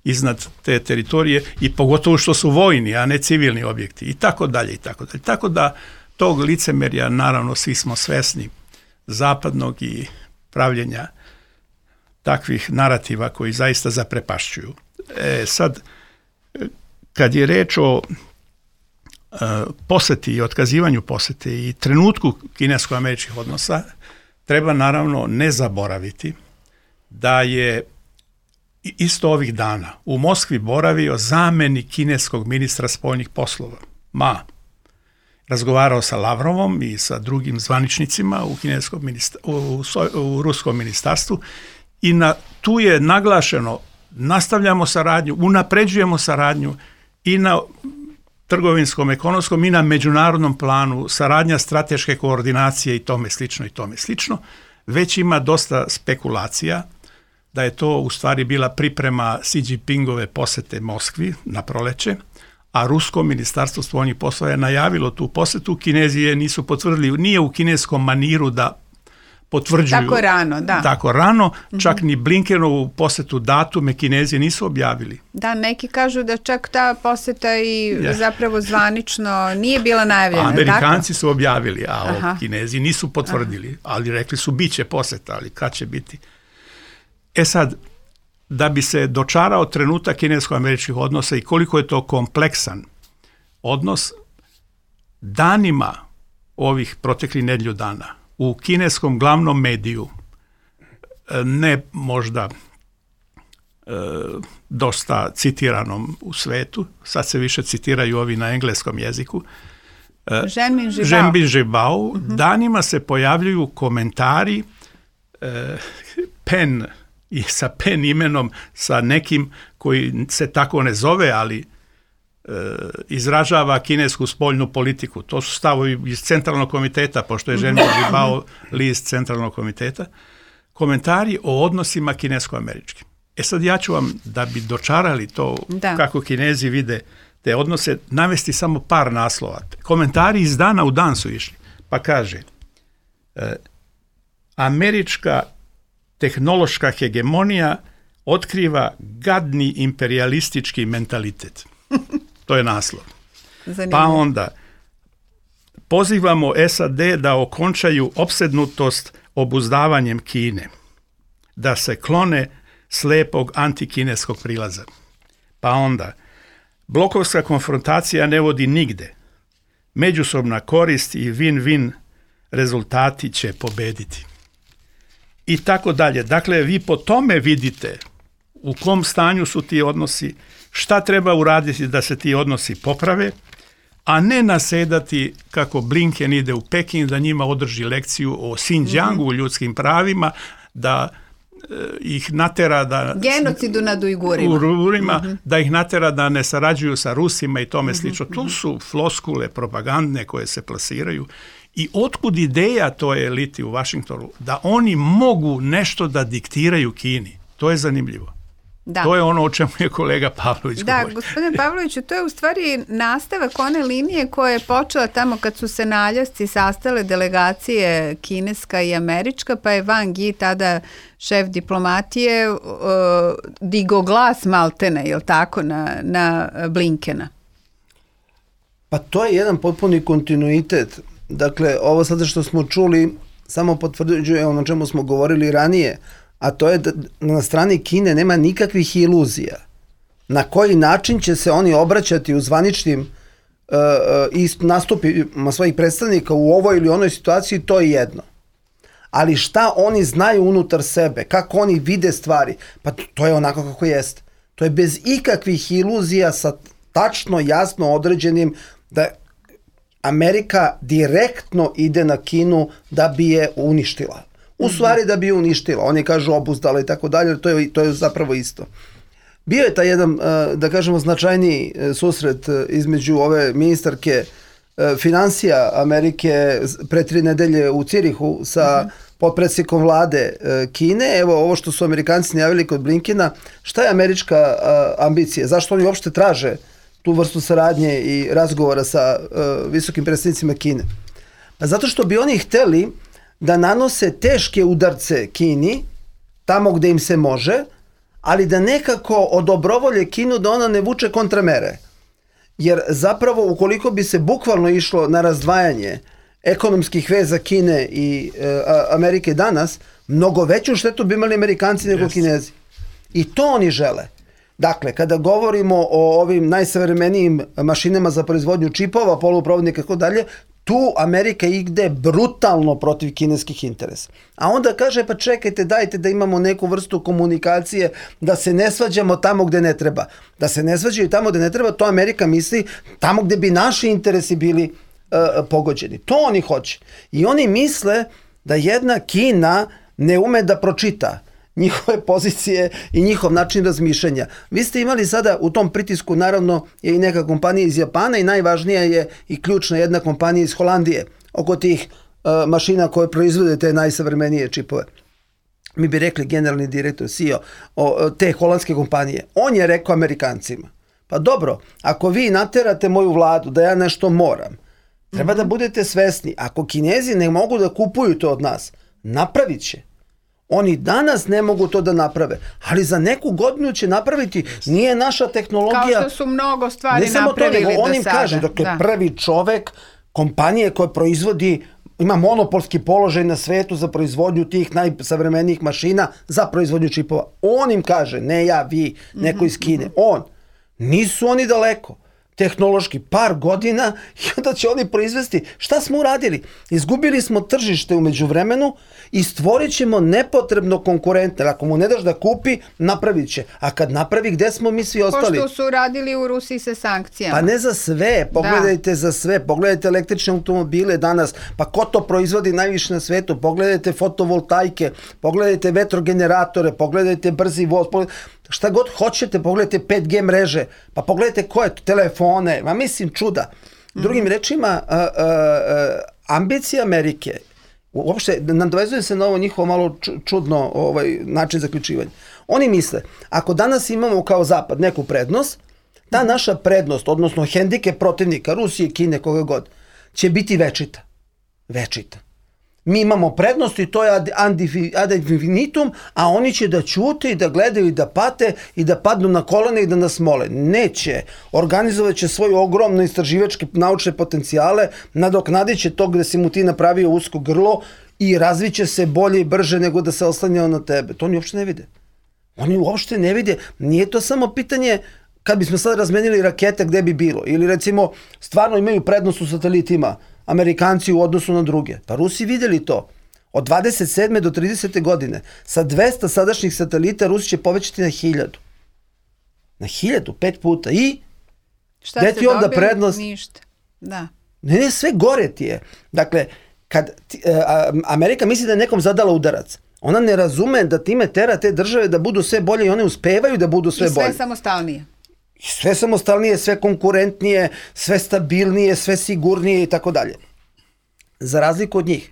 iznad te teritorije i pogotovo što su vojni, a ne civilni objekti i tako dalje i tako dalje. Tako da tog licemerja, naravno, svi smo svesni zapadnog i pravljenja takvih narativa koji zaista zaprepašćuju. Sad, kad je reč o poseti i otkazivanju posete i trenutku kinesko-američkih odnosa, treba naravno ne zaboraviti da je isto ovih dana u Moskvi boravio zamenik kineskog ministra spoljnih poslova, Ma. Razgovarao sa Lavrovom i sa drugim zvaničnicima u ruskom ministarstvu i tu je naglašeno nastavljamo saradnju, unapređujemo saradnju i na trgovinskom, ekonomskom i na međunarodnom planu, saradnja strateške koordinacije i tome slično. Već ima dosta spekulacija da je to u stvari bila priprema Xi Jinpingove posete Moskvi na proleće, a rusko ministarstvo spoljnih poslova je najavilo tu posetu. Kinezi je nisu potvrdili, nije u kineskom maniru da potvrđuju tako rano, čak ni Blinkenovu posetu datume Kinezi nisu objavili. Da, neki kažu da čak ta poseta i zapravo zvanično nije bila najavljena. Amerikanci su objavili, a Kinezi nisu potvrdili, ali rekli su bit će poseta, ali kad će biti? Sad, da bi se dočarao trenutak kinesko-američkih odnosa i koliko je to kompleksan odnos, danima ovih proteklih nedelju dana u kineskom glavnom mediju, ne možda dosta citiranom u svetu, sad se više citiraju ovi na engleskom jeziku, Zhenmin Zhibao, danima se pojavljuju komentari Pen i sa Pen imenom, sa nekim koji se tako ne zove, ali izražava kinesku spoljnu politiku. To su stavovi iz centralnog komiteta, pošto je Zhenmin Zhibao list centralnog komiteta. Komentari o odnosima kinesko-američkim. Sad ja ću vam, da bi dočarali to kako Kinezi vide te odnose, navesti samo par naslova. Komentari iz dana u dan su išli. Pa kaže, američka tehnološka hegemonija otkriva gadni imperialistički mentalitet. To je naslov. Zanimljivo. Pa onda pozivamo SAD da okončaju opsednutost obuzdavanjem Kine, da se klone slepog antikineskog prilaza. Pa onda blokovska konfrontacija ne vodi nigde. Međusobna korist i win-win rezultati će pobediti. I tako dalje. Dakle, vi po tome vidite u kom stanju su ti odnosi, šta treba uraditi da se ti odnosi poprave, a ne nasedati kako Blinken ide u Peking da njima održi lekciju o Xinjiangu, ljudskim pravima, da ih natera da genocidu nad Ujgurima, da ih natera da ne sarađuju sa Rusima i tome slično. To su floskule propagandne koje se plasiraju. I otkud ideja toj eliti u Vašingtonu da oni mogu nešto da diktiraju Kini? To je zanimljivo. Da. To je ono o čemu je kolega Pavlović govorio. Da, gospodine Pavloviću, to je u stvari nastavak one linije koja je počela tamo kad su se na Aljasci sastale delegacije kineska i američka, pa je Wang Yi, tada šef diplomatije, digo glas maltene, jel tako, na Blinkena? Pa to je jedan potpuni kontinuitet. Dakle, ovo sada što smo čuli samo potvrđuje ono o čemu smo govorili ranije, a to je da na strani Kine nema nikakvih iluzija. Na koji način će se oni obraćati u zvaničnim nastupima svojih predstavnika u ovoj ili onoj situaciji, to je jedno. ali šta oni znaju unutar sebe, kako oni vide stvari, pa to je onako kako jeste. To je bez ikakvih iluzija sa tačno, jasno određenim da Amerika direktno ide na Kinu da bi je uništila. U stvari da bi je uništila. Oni kažu obuzdala i tako dalje, to je zapravo isto. Bio je taj jedan, da kažemo, značajniji susret između ove ministarke financija Amerike pre 3 nedelje u Cirihu sa potpredsjednikom vlade Kine. Evo ovo što su Amerikanci najavili kod Blinkena. Šta je američka ambicija? Zašto oni uopšte traže tu vrstu saradnje i razgovora sa visokim predstavnicima Kine? Pa zato što bi oni hteli da nanose teške udarce Kini, tamo gde im se može, ali da nekako odobrovolje Kinu da ona ne vuče kontramere. Jer zapravo ukoliko bi se bukvalno išlo na razdvajanje ekonomskih veza Kine i Amerike danas, mnogo veću štetu bi imali Amerikanci nego Kinezi. I to oni žele. Dakle, kada govorimo o ovim najsavremenijim mašinama za proizvodnju čipova, poluprovodnika i tako dalje, tu Amerika ide brutalno protiv kineskih interesa. A onda kaže, pa čekajte, dajte da imamo neku vrstu komunikacije, da se ne svađamo tamo gde ne treba. Da se ne svađaju tamo gde ne treba, to Amerika misli tamo gde bi naši interesi bili pogođeni. To oni hoće. I oni misle da jedna Kina ne ume da pročita njihove pozicije i njihov način razmišljanja. Vi ste imali sada u tom pritisku, naravno, je i neka kompanija iz Japana i najvažnija je i ključna jedna kompanija iz Holandije oko tih mašina koje proizvode te najsavremenije čipove. Mi bi rekli generalni direktor, CEO te holandske kompanije. On je rekao Amerikancima, pa dobro, ako vi naterate moju vladu da ja nešto moram, treba da budete svesni. Ako Kinezi ne mogu da kupuju to od nas, napravit će. Oni danas ne mogu to da naprave, ali za neku godinu će napraviti. Nije naša tehnologija... Kao što su mnogo stvari napravili do sada. Ne samo to, nego on im kaže, dakle, prvi čovek kompanije koja proizvodi, ima monopolski položaj na svetu za proizvodnju tih najsavremenijih mašina za proizvodnju čipova. On im kaže, ne ja, vi, neko iz Kine. On. Nisu oni daleko. Tehnološki par godina i onda će oni proizvesti. Šta smo uradili? Izgubili smo tržište u međuvremenu i stvorit ćemo nepotrebno konkurente. Ako mu ne daš da kupi, napravit će. A kad napravi, gde smo mi svi ostali? Ko što su radili u Rusiji sa sankcijama. Pa ne za sve. Pogledajte za sve. Pogledajte električne automobile danas. Pa ko to proizvodi najviše na svetu? Pogledajte fotovoltajke, pogledajte vetrogeneratore, pogledajte brzi voz, šta god hoćete, pogledajte 5G mreže, pa pogledajte koje telefone, ma mislim čuda. Drugim rečima, ambicija Amerike, uopšte, nadovezuje se na ovo njihovo malo čudno način zaključivanja. Oni misle, ako danas imamo kao Zapad neku prednost, ta naša prednost, odnosno hendikep protivnika, Rusije, Kine, koga god, će biti večita. Večita. Mi imamo prednost i to je ad infinitum, a oni će da ćute i da gledaju i da pate i da padnu na kolene i da nas mole. Neće. Organizovat će svoje ogromne istraživačke naučne potencijale, nadoknadit će to gde si mu ti napravio usko grlo i razviće se bolje i brže nego da se oslanjao na tebe. To oni uopšte ne vide. Oni uopšte ne vide. Nije to samo pitanje kad bismo sad razmenili rakete gde bi bilo. Ili recimo stvarno imaju prednost u satelitima Amerikanci u odnosu na druge. Pa Rusi vidjeli to. Od 27. do 30. godine sa 200 sadašnjih satelita Rusi će povećati na 1000. Na 1000, 5 puta. I šta se dobili? Prednost? Ništa. Da. Ne, sve gore ti je. Dakle, kad Amerika misli da je nekom zadala udarac, ona ne razume da time tera te države da budu sve bolje i one uspevaju da budu sve bolje. I sve samostalnije. Sve samostalnije, sve konkurentnije, sve stabilnije, sve sigurnije i tako dalje. Za razliku od njih,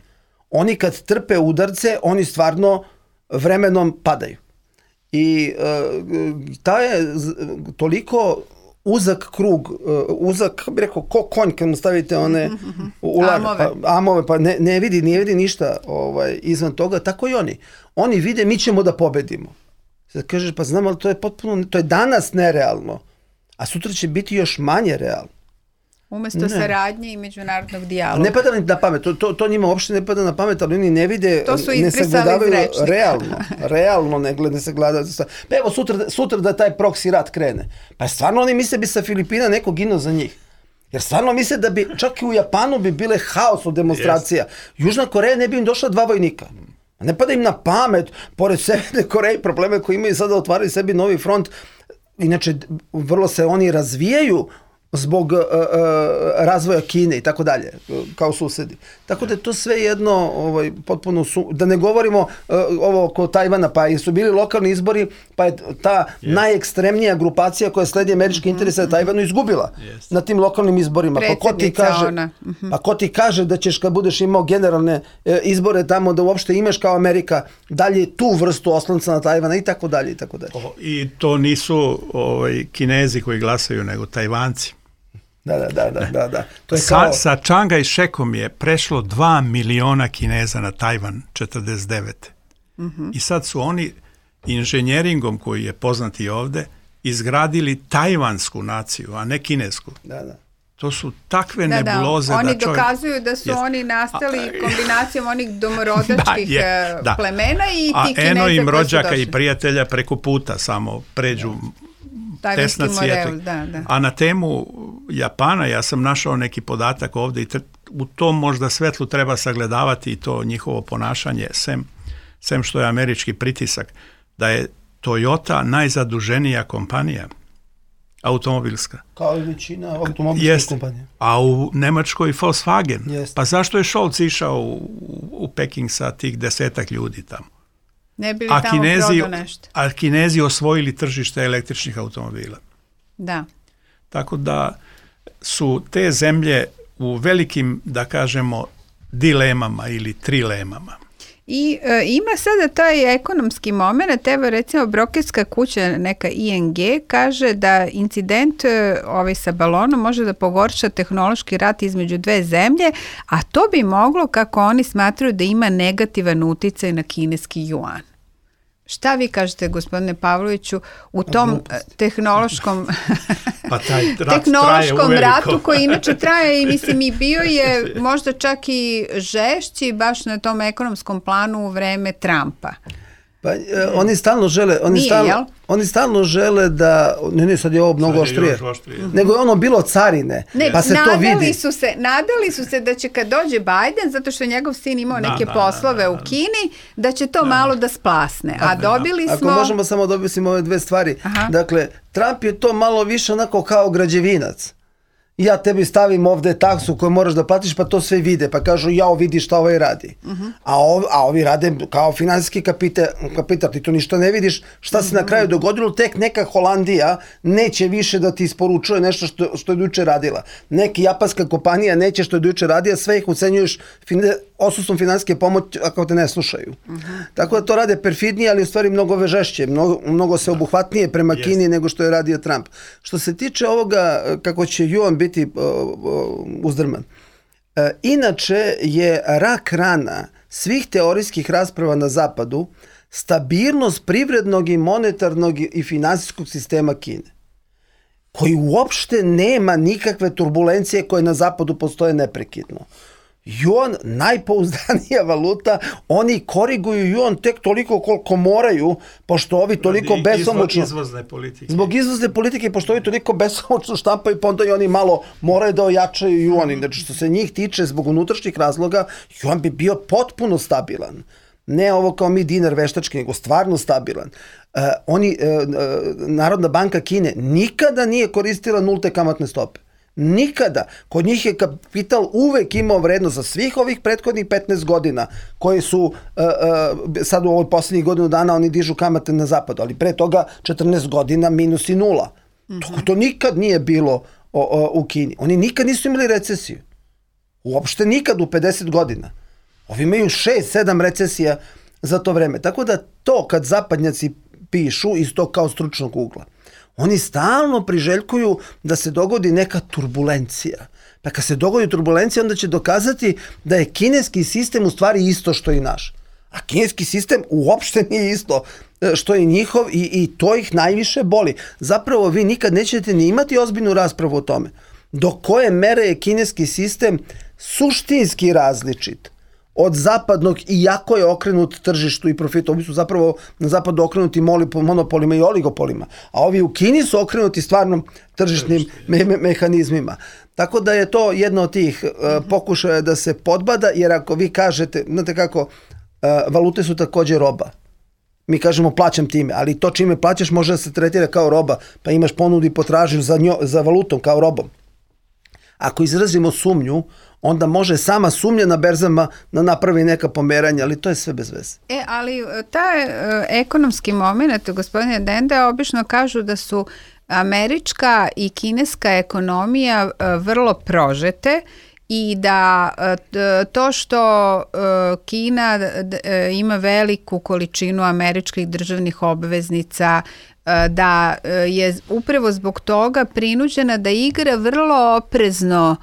oni kad trpe udarce, oni stvarno vremenom padaju. I ta je toliko uzak krug, uzak, kako bi rekao, ko konj kad mu stavite one amove, pa ne vidi ništa izvan toga, tako i oni. Oni vide, mi ćemo da pobedimo. Sad kažeš, pa znam, ali to je potpuno, to je danas nerealno, a sutra će biti još manje realno. Umesto saradnje i međunarodnog dijaloga. Ne pada na pamet, to njima uopšte ne pada na pamet, ali oni ne vide, ne sagledavaju realno ne sagledavaju. Pa evo sutra da taj proksi rat krene. Pa stvarno oni misle bi sa Filipina neko ginuo za njih. Jer stvarno misle da bi, čak i u Japanu bi bile haos od demonstracija. Južna Koreja ne bi im došla 2 vojnika. Ne pada im na pamet, pored Severne Koreje, probleme koje imaju sada otvaraju sebi novi front. Inače, vrlo se oni razvijaju zbog razvoja Kine i tako dalje, kao susedi. Tako da je to sve jedno potpuno, da ne govorimo ovo oko Tajvana, pa su bili lokalni izbori, pa je ta najekstremnija grupacija koja sledi američke interese na Tajvanu izgubila na tim lokalnim izborima. Pa ko ti kaže da ćeš kad budeš imao generalne izbore tamo da uopšte imaš kao Amerika dalje tu vrstu oslonca na Tajvana i tako dalje i tako dalje. I to nisu Kinezi koji glasaju, nego Tajvanci. Da. To je sa Čanga i Šekom je prešlo 2 miliona Kineza na Tajvan 49. I sad su oni inženjeringom koji je poznati ovde izgradili tajvansku naciju, a ne kinesku. To su takve nebuloze da oni dokazuju da su oni nastali kombinacijom onih domorodačkih plemena i ti Kineza. A eno im rođaka i prijatelja preko puta samo pređu tesna cvijetak. A na temu Japana ja sam našao neki podatak ovde i u tom možda svetlu treba sagledavati i to njihovo ponašanje, sem što je američki pritisak, da je Toyota najzaduženija kompanija automobilska. Kao i većina automobilskih kompanija. A u Nemačkoj Volkswagen. Pa zašto je Scholz išao u Peking sa tih 10 ljudi tamo? Ne bi li tamo prodao nešto. A Kinezi osvojili tržište električnih automobila. Da. Tako da su te zemlje u velikim, da kažemo, dilemama ili trilemama. I ima sada taj ekonomski moment, evo recimo brokerska kuća, neka ING, kaže da incident sa balonom može da pogorša tehnološki rat između 2 zemlje, a to bi moglo, kako oni smatraju, da ima negativan uticaj na kineski juan. Šta vi kažete, gospodine Pavloviću, u tom tehnološkom ratu koji inače traje i mislim i bio je možda čak i žešći baš na tom ekonomskom planu u vreme Trumpa? Pa oni stalno žele da, ne, sad je ovo mnogo oštrije, nego je ono bilo carine, pa se to vidi. Nadali su se da će kad dođe Biden, zato što je njegov sin imao neke poslove u Kini, da će to malo da splasne, a dobili smo... Ako možemo samo dobiti ove 2 stvari, dakle, Trump je to malo više onako kao građevinac. Ja tebi stavim ovde taksu koju moraš da platiš, pa to sve vide, pa kažu jao vidi šta ovaj radi. A ovi rade kao finansijski kapital, ti to ništa ne vidiš, šta se na kraju dogodilo, tek neka Holandija neće više da ti isporučuje nešto što je juče radila. Neka japanska kompanija neće što je juče radila, sve ih ucenjuješ odsustvom finansijske pomoći ako te ne slušaju. Tako da to rade perfidnije, ali u stvari mnogo žešće, mnogo se obuhvatnije prema Kini nego što je radio Trump. Što se tiče ovoga kako će juan biti uzdrman. Inače je rak rana svih teorijskih rasprava na zapadu stabilnost privrednog i monetarnog i finansijskog sistema Kine, koji uopšte nema nikakve turbulencije koje na zapadu postoje neprekidno. Juan, najpouzdanija valuta, oni koriguju juan tek toliko koliko moraju, pošto ovi toliko besomučno... Zbog izvozne politike, pošto ovi toliko besomučno štampaju, pa onda i oni malo moraju da ojačaju juan. Znači, što se njih tiče, zbog unutrašnjih razloga, juan bi bio potpuno stabilan. Ne ovo kao mi dinar veštački, nego stvarno stabilan. Narodna banka Kine nikada nije koristila nulte kamatne stope. Nikada. Kod njih je kapital uvek imao vrednost za svih ovih prethodnih 15 godina koji su sad u ovoj posljednjih godinu dana oni dižu kamate na zapadu, ali pre toga 14 godina minus i nula. To nikad nije bilo u Kini. Oni nikad nisu imali recesiju. Uopšte nikad u 50 godina. Ovi imaju 6-7 recesija za to vreme. Tako da to kad zapadnjaci pišu iz tog kao stručnog ugla, oni stalno priželjkuju da se dogodi neka turbulencija. Pa kad se dogodi turbulencija, onda će dokazati da je kineski sistem u stvari isto što i naš. A kineski sistem uopšte nije isto što je njihov i to ih najviše boli. Zapravo vi nikad nećete ni imati ozbiljnu raspravu o tome. Do koje mere je kineski sistem suštinski različit od zapadnog, iako je okrenut tržištu i profitu. Ovi su zapravo na zapadu okrenuti monopolima i oligopolima, a ovi u Kini su okrenuti stvarno tržišnim mehanizmima. Tako da je to jedno od tih pokušaja da se podbada, jer ako vi kažete, znate kako, valute su također roba. Mi kažemo plaćam time, ali to čime plaćaš može da se tretira kao roba, pa imaš ponudu i potražnju za valutom kao robom. Ako izrazimo sumnju, onda može sama sumnja na berzama da napravi neka pomeranja, ali to je sve bez veze. Ali taj ekonomski moment, gospodine Dende, obično kažu da su američka i kineska ekonomija vrlo prožete i da to što Kina ima veliku količinu američkih državnih obveznica, da je upravo zbog toga prinuđena da igra vrlo oprezno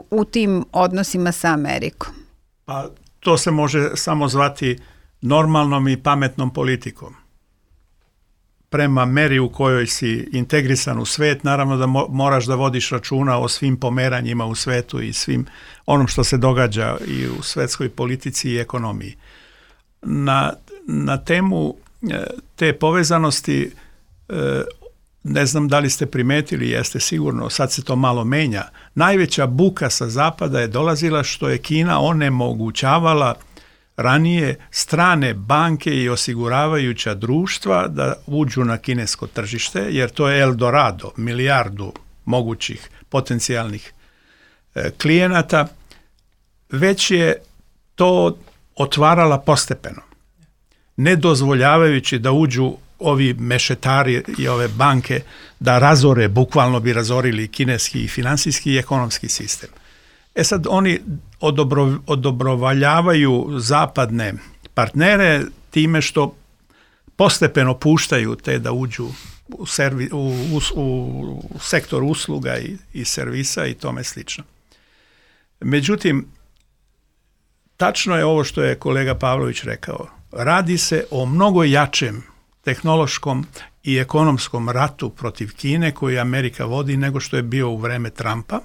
u tim odnosima sa Amerikom. Pa to se može samo zvati normalnom i pametnom politikom. Prema meri u kojoj si integrisan u svet, naravno da moraš da vodiš računa o svim pomeranjima u svetu i svim onom što se događa i u svetskoj politici i ekonomiji. Na temu te povezanosti, ne znam da li ste primetili, jeste sigurno, sad se to malo menja. Najveća buka sa zapada je dolazila što je Kina onemogućavala ranije strane banke i osiguravajuća društva da uđu na kinesko tržište, jer to je Eldorado, milijardu mogućih potencijalnih klijenata, već je to otvarala postepeno, ne dozvoljavajući da uđu ovi mešetari i ove banke da razore, bukvalno bi razorili kineski i finansijski i ekonomski sistem. Sad oni odobrovaljavaju zapadne partnere time što postepeno puštaju te da uđu u sektor usluga i servisa i tome slično. Međutim, tačno je ovo što je kolega Pavlović rekao. Radi se o mnogo jačem tehnološkom i ekonomskom ratu protiv Kine koji Amerika vodi nego što je bio u vreme Trumpa.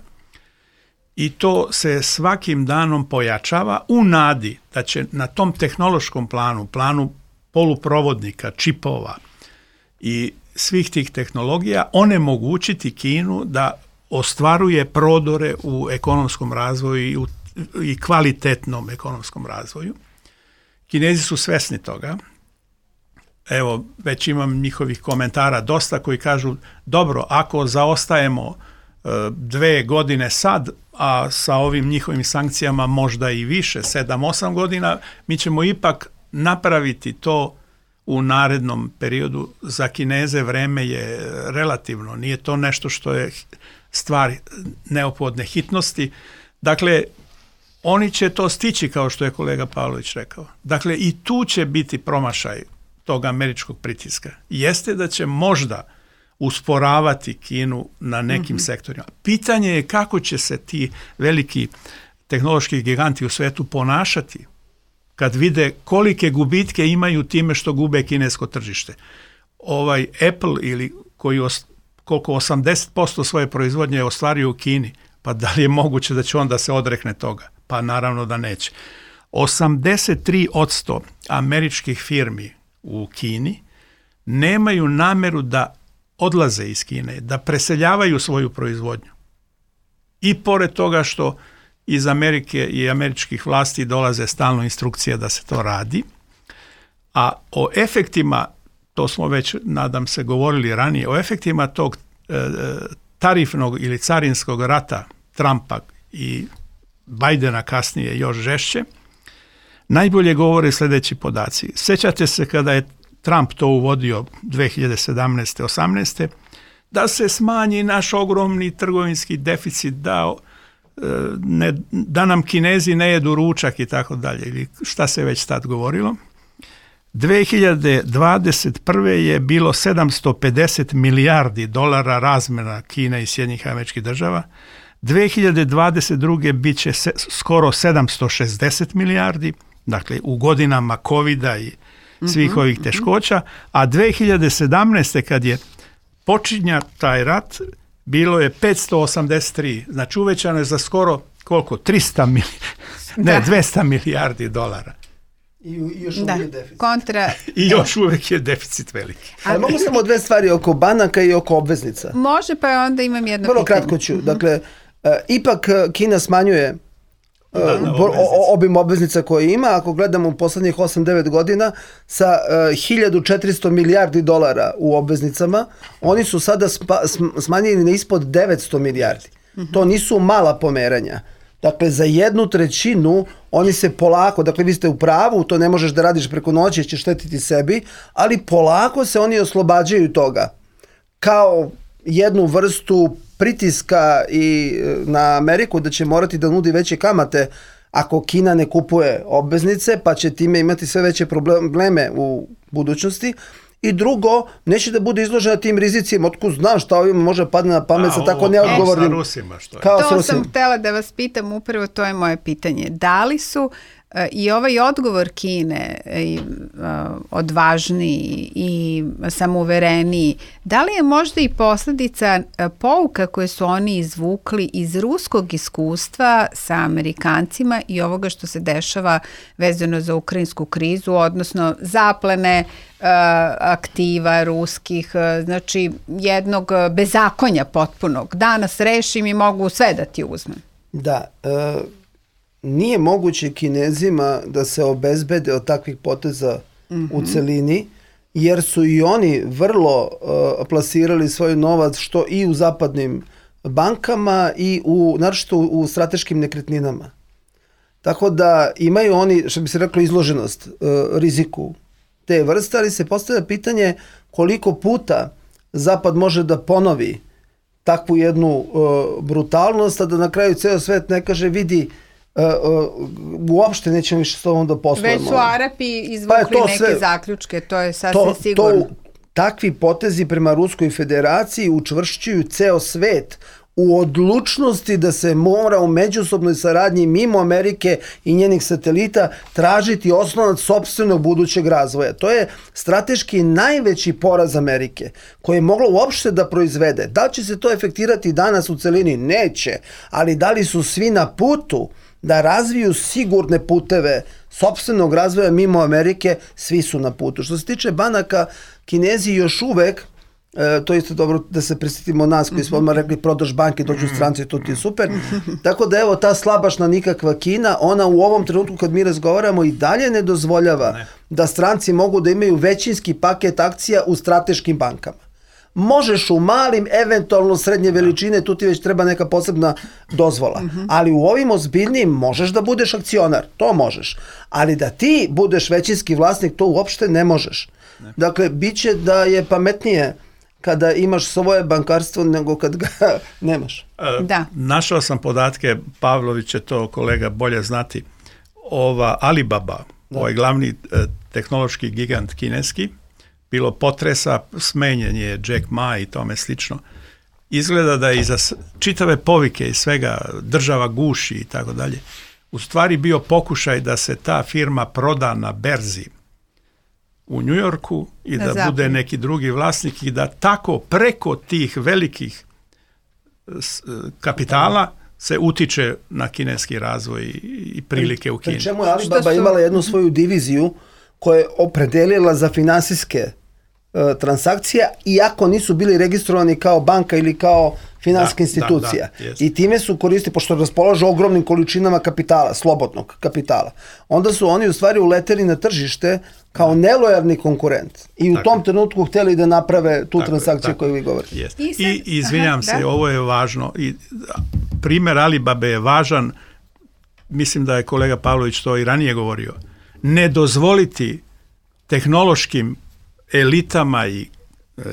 I to se svakim danom pojačava u nadi da će na tom tehnološkom planu poluprovodnika, čipova i svih tih tehnologija onemogućiti Kinu da ostvaruje prodore u ekonomskom razvoju i kvalitetnom ekonomskom razvoju. Kinezi su svesni toga. Evo, već imam njihovih komentara dosta koji kažu, dobro, ako zaostajemo 2 godine sad, a sa ovim njihovim sankcijama možda i više, 7-8 godina, mi ćemo ipak napraviti to u narednom periodu. Za Kineze vreme je relativno, nije to nešto što je stvar neophodne hitnosti. Dakle, oni će to stići, kao što je kolega Pavlović rekao. Dakle, i tu će biti promašaj tog američkog pritiska. Jeste da će možda usporavati Kinu na nekim sektorima. Pitanje je kako će se ti veliki tehnološki giganti u svetu ponašati kad vide kolike gubitke imaju time što gube kinesko tržište. Ovaj Apple ili koliko 80% svoje proizvodnje je ostvario u Kini, pa da li je moguće da će onda se odrekne toga? Pa naravno da neće. 83% američkih firmi u Kini nemaju nameru da odlaze iz Kine, da preseljavaju svoju proizvodnju. I pored toga što iz Amerike i američkih vlasti dolaze stalno instrukcije da se to radi, a o efektima, to smo već, nadam se, govorili ranije, o efektima tog tarifnog ili carinskog rata Trumpa i Bidena kasnije još žešće, najbolje govore sljedeći podaci. Sjećate se kada je Trump to uvodio 2017-18, da se smanji naš ogromni trgovinski deficit, da nam Kinezi ne jedu ručak i tako dalje, ili šta se već tad govorilo. 2021. je bilo 750 milijardi dolara razmjena Kine i Sjedinjenih Američkih Država. 2022. bit će skoro 760 milijardi, dakle u godinama covida i svih ovih teškoća, a 2017. kad je počinja taj rat, bilo je 583, znači uvećano je za skoro koliko? 200 milijardi dolara. I još uvijek je deficit. I još uvijek je deficit veliki. Ali mogu samo dve stvari oko banaka i oko obveznica. Može, pa onda imam jedno Vrlo pitanje. kratko ću. Dakle, ipak Kina smanjuje obim obveznica koje ima. Ako gledamo u poslednjih 8-9 godina sa 1400 milijardi dolara u obveznicama, oni su sada smanjeni na ispod 900 milijardi. To nisu mala pomeranja. Dakle, za 1/3 oni se polako, dakle vi ste u pravu, to ne možeš da radiš preko noći, ćeš štetiti sebi, ali polako se oni oslobađaju toga. Kao jednu vrstu pritiska i na Ameriku da će morati da nudi veće kamate ako Kina ne kupuje obveznice, pa će time imati sve veće probleme u budućnosti. I drugo, neće da bude izložena tim rizicima, otkud znam šta ovima može padne na pamet sa tako neodgovornim. Kao sa Rusima, što je. To sam htjela da vas pitam, upravo to je moje pitanje. Da li su i ovaj odgovor Kine odvažniji i samouvereniji, da li je možda i posljedica pouka koje su oni izvukli iz ruskog iskustva sa Amerikancima i ovoga što se dešava vezano za ukrajinsku krizu, odnosno zaplene aktiva ruskih, znači jednog bezakonja potpunog. Danas rešim i mogu sve da ti uzmem. Da, nije moguće Kinezima da se obezbede od takvih poteza u celini, jer su i oni vrlo plasirali svoj novac što i u zapadnim bankama i naročito u strateškim nekretninama. Tako da imaju oni, što bi se reklo, izloženost riziku te vrste, ali se postavlja pitanje koliko puta Zapad može da ponovi takvu jednu brutalnost, a da na kraju ceo svet ne kaže vidi uopšte nećemo više s tobom da poslujemo. Već su Arapi izvukli neke zaključke, to je sasvim sigurno. Takvi potezi prema Ruskoj federaciji učvršćuju ceo svet u odlučnosti da se mora u međusobnoj saradnji mimo Amerike i njenih satelita tražiti osnovac sopstvenog budućeg razvoja. To je strateški najveći poraz Amerike koje je moglo uopšte da proizvede. Da li će se to efektirati danas u celini? Neće. Ali da li su svi na putu da razviju sigurne puteve sopstvenog razvoja mimo Amerike? Svi su na putu. Što se tiče banaka, Kinezi još uvek, to je isto dobro da se prisjetimo nas koji smo odmah rekli prodaš banke, dođu stranci, to ti je super. Tako da evo ta slabašna nikakva Kina, ona u ovom trenutku kad mi razgovaramo i dalje ne dozvoljava da stranci mogu da imaju većinski paket akcija u strateškim bankama. Možeš u malim, eventualno srednje veličine, tu ti već treba neka posebna dozvola. Ali u ovim ozbiljnim možeš da budeš akcionar, to možeš. Ali da ti budeš većinski vlasnik, to uopšte ne možeš. Dakle, bit će da je pametnije kada imaš svoje bankarstvo nego kad ga nemaš. Našao sam podatke, Pavlović će to kolega bolje znati, ova Alibaba, ovaj glavni tehnološki gigant kineski, bilo potresa, smenjen je Jack Ma i tome slično. Izgleda da je iza čitave povike i svega država guši i tako dalje, u stvari bio pokušaj da se ta firma proda na berzi u New Yorku i da bude neki drugi vlasnik i da tako preko tih velikih kapitala se utiče na kineski razvoj i prilike u Kini. Pri čemu je Alibaba imala jednu svoju diviziju koja je opredelila za finansijske transakcije, iako nisu bili registrovani kao banka ili kao finansijska institucija. I time su koristili, pošto raspolažu ogromnim količinama kapitala, slobodnog kapitala. Onda su oni u stvari uleteli na tržište kao nelojalni konkurent. I u tom trenutku htjeli da naprave tu transakciju koju vi govorite. I izvinjam se, ovo je važno. Primjer Alibabe je važan, mislim da je kolega Pavlović to i ranije govorio. Ne dozvoliti tehnološkim elitama i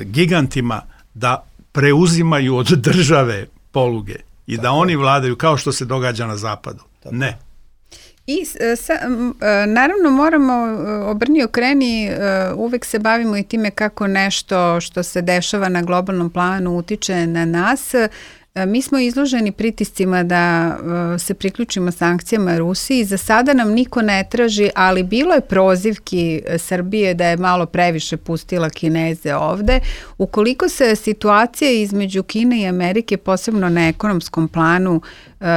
gigantima da preuzimaju od države poluge i da oni vladaju kao što se događa na zapadu. Ne. I naravno moramo obrni okreni, uvek se bavimo i time kako nešto što se dešava na globalnom planu utiče na nas. Mi smo izloženi pritiscima da se priključimo sankcijama Rusiji. Za sada nam niko ne traži, ali bilo je prozivki Srbije da je malo previše pustila Kineze ovde. Ukoliko se situacija između Kine i Amerike, posebno na ekonomskom planu,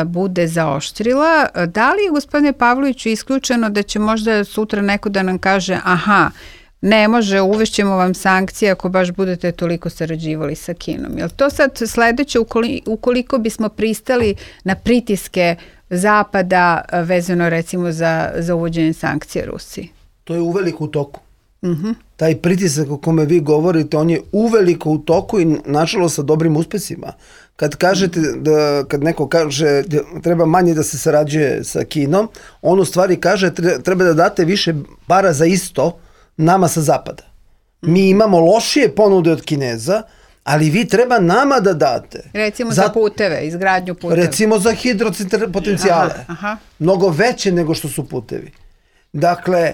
bude zaoštrila, da li je, gospodine Pavloviću, isključeno da će možda sutra neko da nam kaže aha, ne može, uvešćemo vam sankcije ako baš budete toliko sarađivali sa Kinom. Jel to sad sledeće, ukoliko bismo pristali na pritiske Zapada vezano recimo za uvođenje sankcija Rusiji? To je uveliko u toku. Taj pritisak o kome vi govorite, on je uveliko u toku i nažalost sa dobrim uspesima. Kad kažete kad neko kaže treba manje da se sarađuje sa Kinom, on u stvari kaže treba da date više para za isto nama sa zapada. Mi imamo lošije ponude od Kineza, ali vi treba nama da date. Recimo za puteve, izgradnju puteva. Recimo za hidropotencijale. Mnogo veće nego što su putevi. Dakle,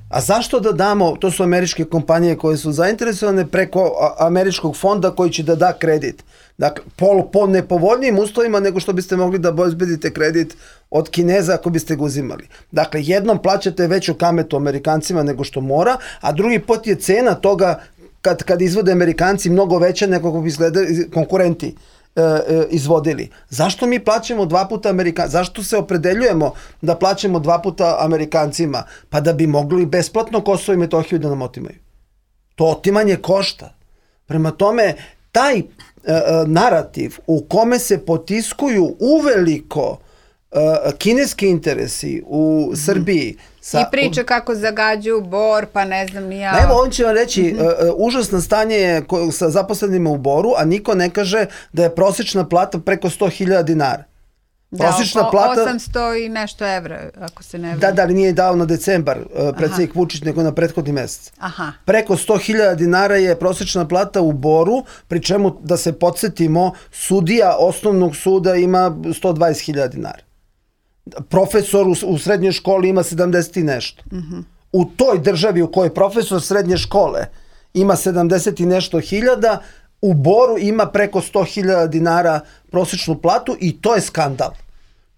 a zašto da damo, to su američke kompanije koje su zainteresovane preko američkog fonda koji će da kredit. Dakle, po nepovoljnijim uslovima nego što biste mogli da obezbedite kredit od Kineza ako biste ga uzimali. Dakle, jednom plaćate veću kametu Amerikancima nego što mora, a drugi put je cena toga kad izvode Amerikanci mnogo veća nego kako bi izgledali konkurenti izvodili. Zašto mi plaćamo 2 puta Amerikancima? Zašto se opredeljujemo da plaćamo 2 puta Amerikancima? Pa da bi mogli besplatno Kosovo i Metohiju da nam otimaju. To otimanje košta. Prema tome, taj narativ u kome se potiskuju uveliko kineski interesi u Srbiji. I priče kako zagađuju Bor, pa ne znam ni ja. Evo, on će vam reći, užasno stanje je sa zaposlenima u Boru, a niko ne kaže da je prosječna plata preko 100.000 dinara. Prosječna plata 800 i nešto evra, ako se ne vrlo. Da, ali nije dao na decembar predsjednik Vučić, nego na prethodni mesec. Preko 100.000 dinara je prosječna plata u Boru, pri čemu, da se podsjetimo, sudija osnovnog suda ima 120.000 dinara. Profesor u srednjoj školi ima 70 i nešto. U toj državi u kojoj profesor srednje škole ima 70 i nešto hiljada, u Boru ima preko 100.000 dinara prosječnu platu i to je skandal.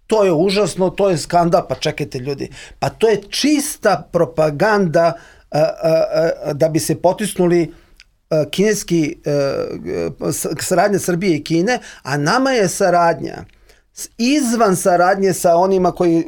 To je užasno, to je skandal, pa čekajte ljudi. Pa to je čista propaganda da bi se potisnuli kineski saradnja Srbije i Kine, a nama je saradnja izvan saradnje sa onima koji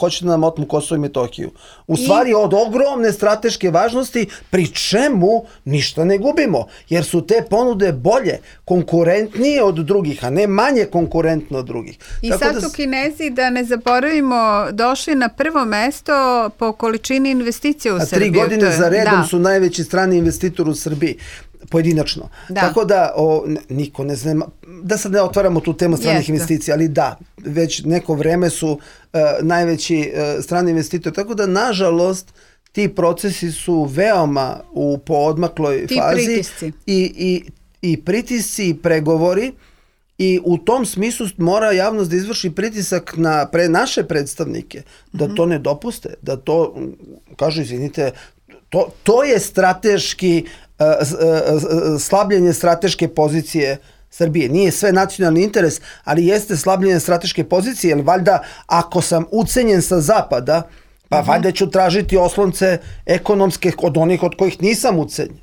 hoće da nam otmu Kosovo i Metohiju. U stvari od ogromne strateške važnosti, pri čemu ništa ne gubimo, jer su te ponude bolje, konkurentnije od drugih, a ne manje konkurentno od drugih. I sad su Kinezi, da ne zaboravimo, došli na prvo mesto po količini investicija u Srbiji. 3 godine za redom su najveći strani investitor u Srbiji. Pojedinačno. Tako da niko ne zna, da sad ne otvaramo tu temu stranih investicija, ali da, već neko vreme su najveći strani investitor. Tako da, nažalost, ti procesi su veoma u poodmakloj fazi. Pritisci. I pritisci i pregovori. I u tom smislu mora javnost da izvrši pritisak na naše predstavnike, da to ne dopuste, da to, kažu, izvinite, to je strateški slabljenje strateške pozicije Srbije. Nije sve nacionalni interes, ali jeste slabljenje strateške pozicije, jer valjda ako sam ucenjen sa zapada, pa valjda ću tražiti oslonce ekonomske od onih od kojih nisam ucenjen.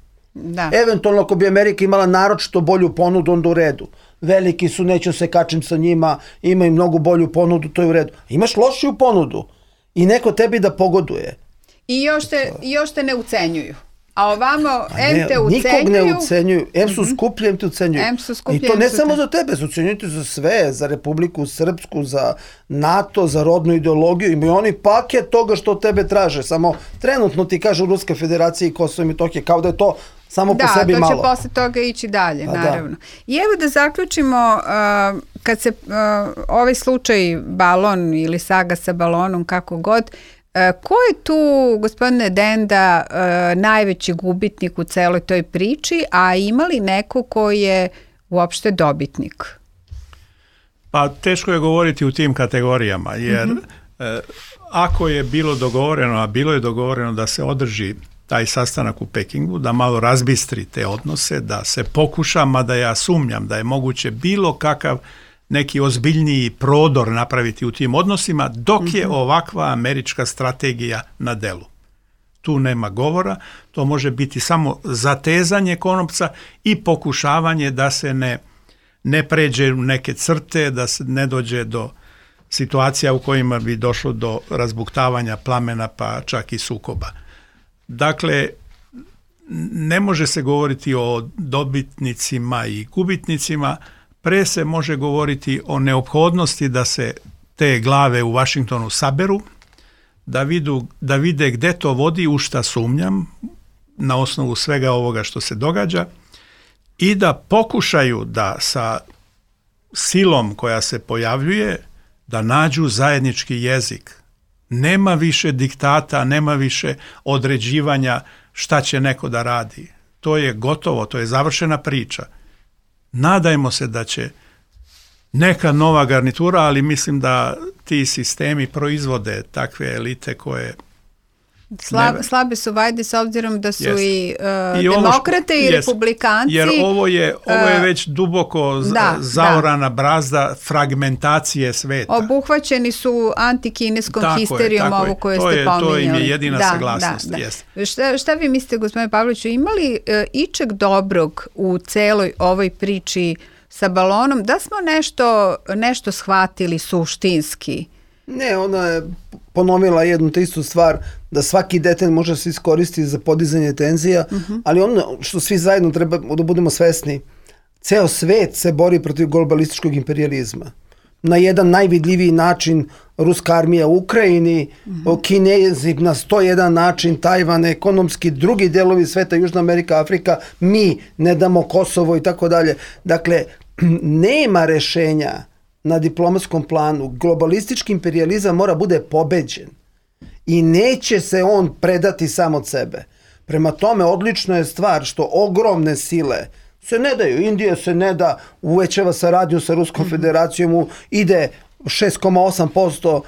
Eventualno ako bi Amerika imala naročito bolju ponudu, onda u redu. Veliki su, neću se kačim sa njima, imaju mnogo bolju ponudu, to je u redu. Imaš lošiju ponudu i neko tebi da pogoduje. I još te ne ucenjuju. A ovamo, em te ucenjuju. Nikog ne ucenjuju. Em su skuplji, em te ucenjuju. I to ne samo za tebe, ucenjuju za sve, za Republiku Srpsku, za NATO, za rodnu ideologiju. Imaju oni paket toga što tebe traže. Samo trenutno ti kažu Ruska federacija i Kosovo i Metohija, kao da je to samo po sebi malo. Da, to će posle toga ići dalje, naravno. I evo da zaključimo, kad se ovaj slučaj balon ili saga sa balonom, kako god, ko je tu, gospodine Denda, najveći gubitnik u celoj toj priči, a ima li neko ko je uopšte dobitnik? Pa teško je govoriti u tim kategorijama, jer ako je bilo dogovoreno, a bilo je dogovoreno da se održi taj sastanak u Pekingu, da malo razbistri te odnose, da se pokuša, mada ja sumnjam da je moguće bilo kakav neki ozbiljniji prodor napraviti u tim odnosima, dok je ovakva američka strategija na delu. Tu nema govora, to može biti samo zatezanje konopca i pokušavanje da se ne pređe u neke crte, da se ne dođe do situacija u kojima bi došlo do razbuktavanja plamena pa čak i sukoba. Dakle, ne može se govoriti o dobitnicima i gubitnicima, pre se može govoriti o neophodnosti da se te glave u Vašingtonu saberu, da vide gde to vodi, u šta sumnjam, na osnovu svega ovoga što se događa, i da pokušaju da sa silom koja se pojavljuje, da nađu zajednički jezik. Nema više diktata, nema više određivanja šta će neko da radi. To je gotovo, to je završena priča. Nadajmo se da će neka nova garnitura, ali mislim da ti sistemi proizvode takve elite koje... Slabe su vajde s obzirom da su i demokrate i republikanci. Jer ovo je već duboko zaorana brazda fragmentacije sveta. Obuhvaćeni su antikineskom histerijom, ovo koje ste pominjali. To im je jedina saglasnost. Šta vi mislite, gospodine Pavloviću, imali ičeg dobrog u celoj ovoj priči sa balonom? Da smo nešto shvatili suštinski? Ne, ona je ponovila jednu te istu stvar, da svaki detalj može se iskoristiti za podizanje tenzija, ali ono što svi zajedno treba da budemo svesni, ceo svet se bori protiv globalističkog imperijalizma. Na jedan najvidljiviji način ruska armija u Ukrajini, Kinezi na 101 način, Tajvan, ekonomski, drugi delovi sveta, Južna Amerika, Afrika, mi ne damo Kosovo i tako dalje. Dakle, nema rešenja na diplomatskom planu. Globalistički imperijalizam mora bude pobeđen i neće se on predati sam od sebe. Prema tome, odlično je stvar što ogromne sile se ne daju. Indija se ne da, uvećava saradnju sa Ruskom federacijom, ide 6,8%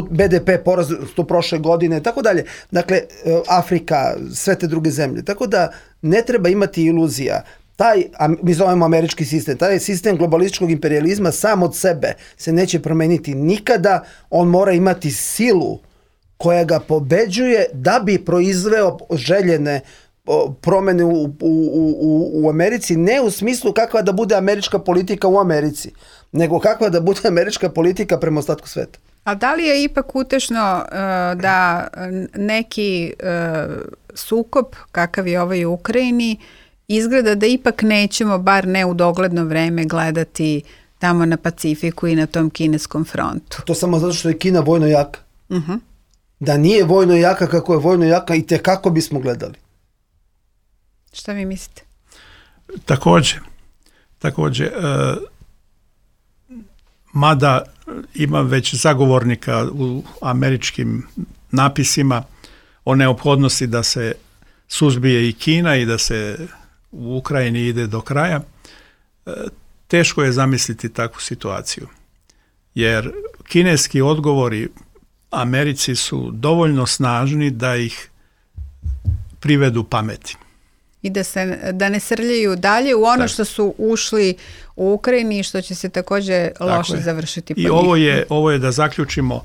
BDP porastu prošle godine, tako dalje. Dakle, Afrika, sve te druge zemlje. Tako da ne treba imati iluzija. Mi zovemo američki sistem, taj sistem globalističkog imperijalizma sam od sebe se neće promeniti nikada, on mora imati silu koja ga pobeđuje da bi proizveo željene promene u Americi, ne u smislu kakva da bude američka politika u Americi, nego kakva da bude američka politika prema ostatku sveta. A da li je ipak utešno da neki sukob, kakav je ovaj u Ukrajini, izgleda da ipak nećemo, bar ne u dogledno vreme, gledati tamo na Pacifiku i na tom kineskom frontu? To samo zato što je Kina vojno jaka. Da nije vojno jaka kako je vojno jaka, i te kako bismo gledali. Šta vi mislite? Također, mada ima već zagovornika u američkim napisima o neophodnosti da se suzbije i Kina i da se u Ukrajini ide do kraja, teško je zamisliti takvu situaciju. Jer kineski odgovori Americi su dovoljno snažni da ih privedu pameti. I da ne srljaju dalje u ono što su ušli u Ukrajini i što će se također loše završiti. I ovo je da zaključimo,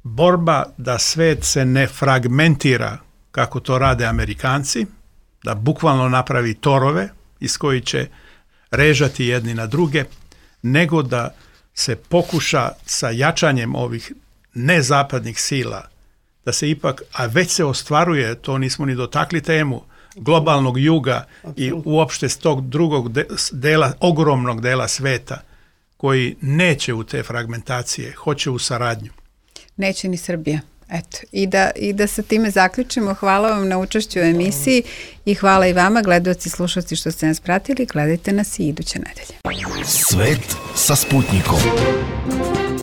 borba da svet se ne fragmentira kako to rade Amerikanci, da bukvalno napravi torove iz koji će režati jedni na druge, nego da se pokuša sa jačanjem ovih nezapadnih sila, da se ipak, a već se ostvaruje, to nismo ni dotakli temu, globalnog juga i uopšte s tog drugog dela, ogromnog dela sveta, koji neće u te fragmentacije, hoće u saradnju. Neće ni Srbija. Eto, i da sa time zaključimo. Hvala vam na učešću u emisiji i hvala i vama, gledaoci i slušalci, što ste nas pratili. Gledajte nas i iduće nedelje. Svet sa Sputnikom.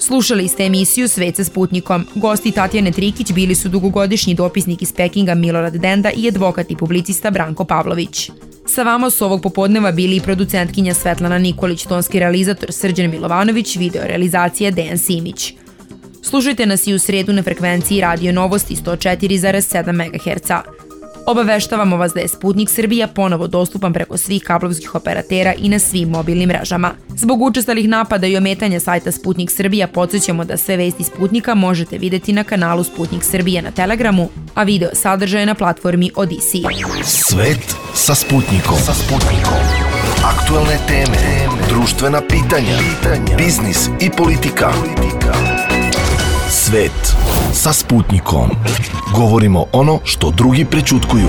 Slušali ste emisiju Svet sa Sputnikom. Gosti Tatjane Trikić bili su dugogodišnji dopisnik iz Pekinga Milorad Denda i advokat i publicista Branko Pavlović. Sa vama su ovog popodneva bili i producentkinja Svetlana Nikolić, tonski realizator Srđan Milovanović, video realizacija Dejan Simić. Slušajte nas i u sredu na frekvenciji Radio Novosti 104,7 MHz. Obaveštavamo vas da je Sputnik Srbija ponovo dostupan preko svih kablovskih operatera i na svim mobilnim mrežama. Zbog učestalih napada i ometanja sajta Sputnik Srbija podsjećamo da sve vesti Sputnika možete videti na kanalu Sputnik Srbija na Telegramu, a video sadržaje na platformi Odisi. Svet sa Sputnikom. Aktuelne teme, društvena pitanja, biznis i politika. Svet sa Sputnikom. Govorimo ono što drugi prećutkuju.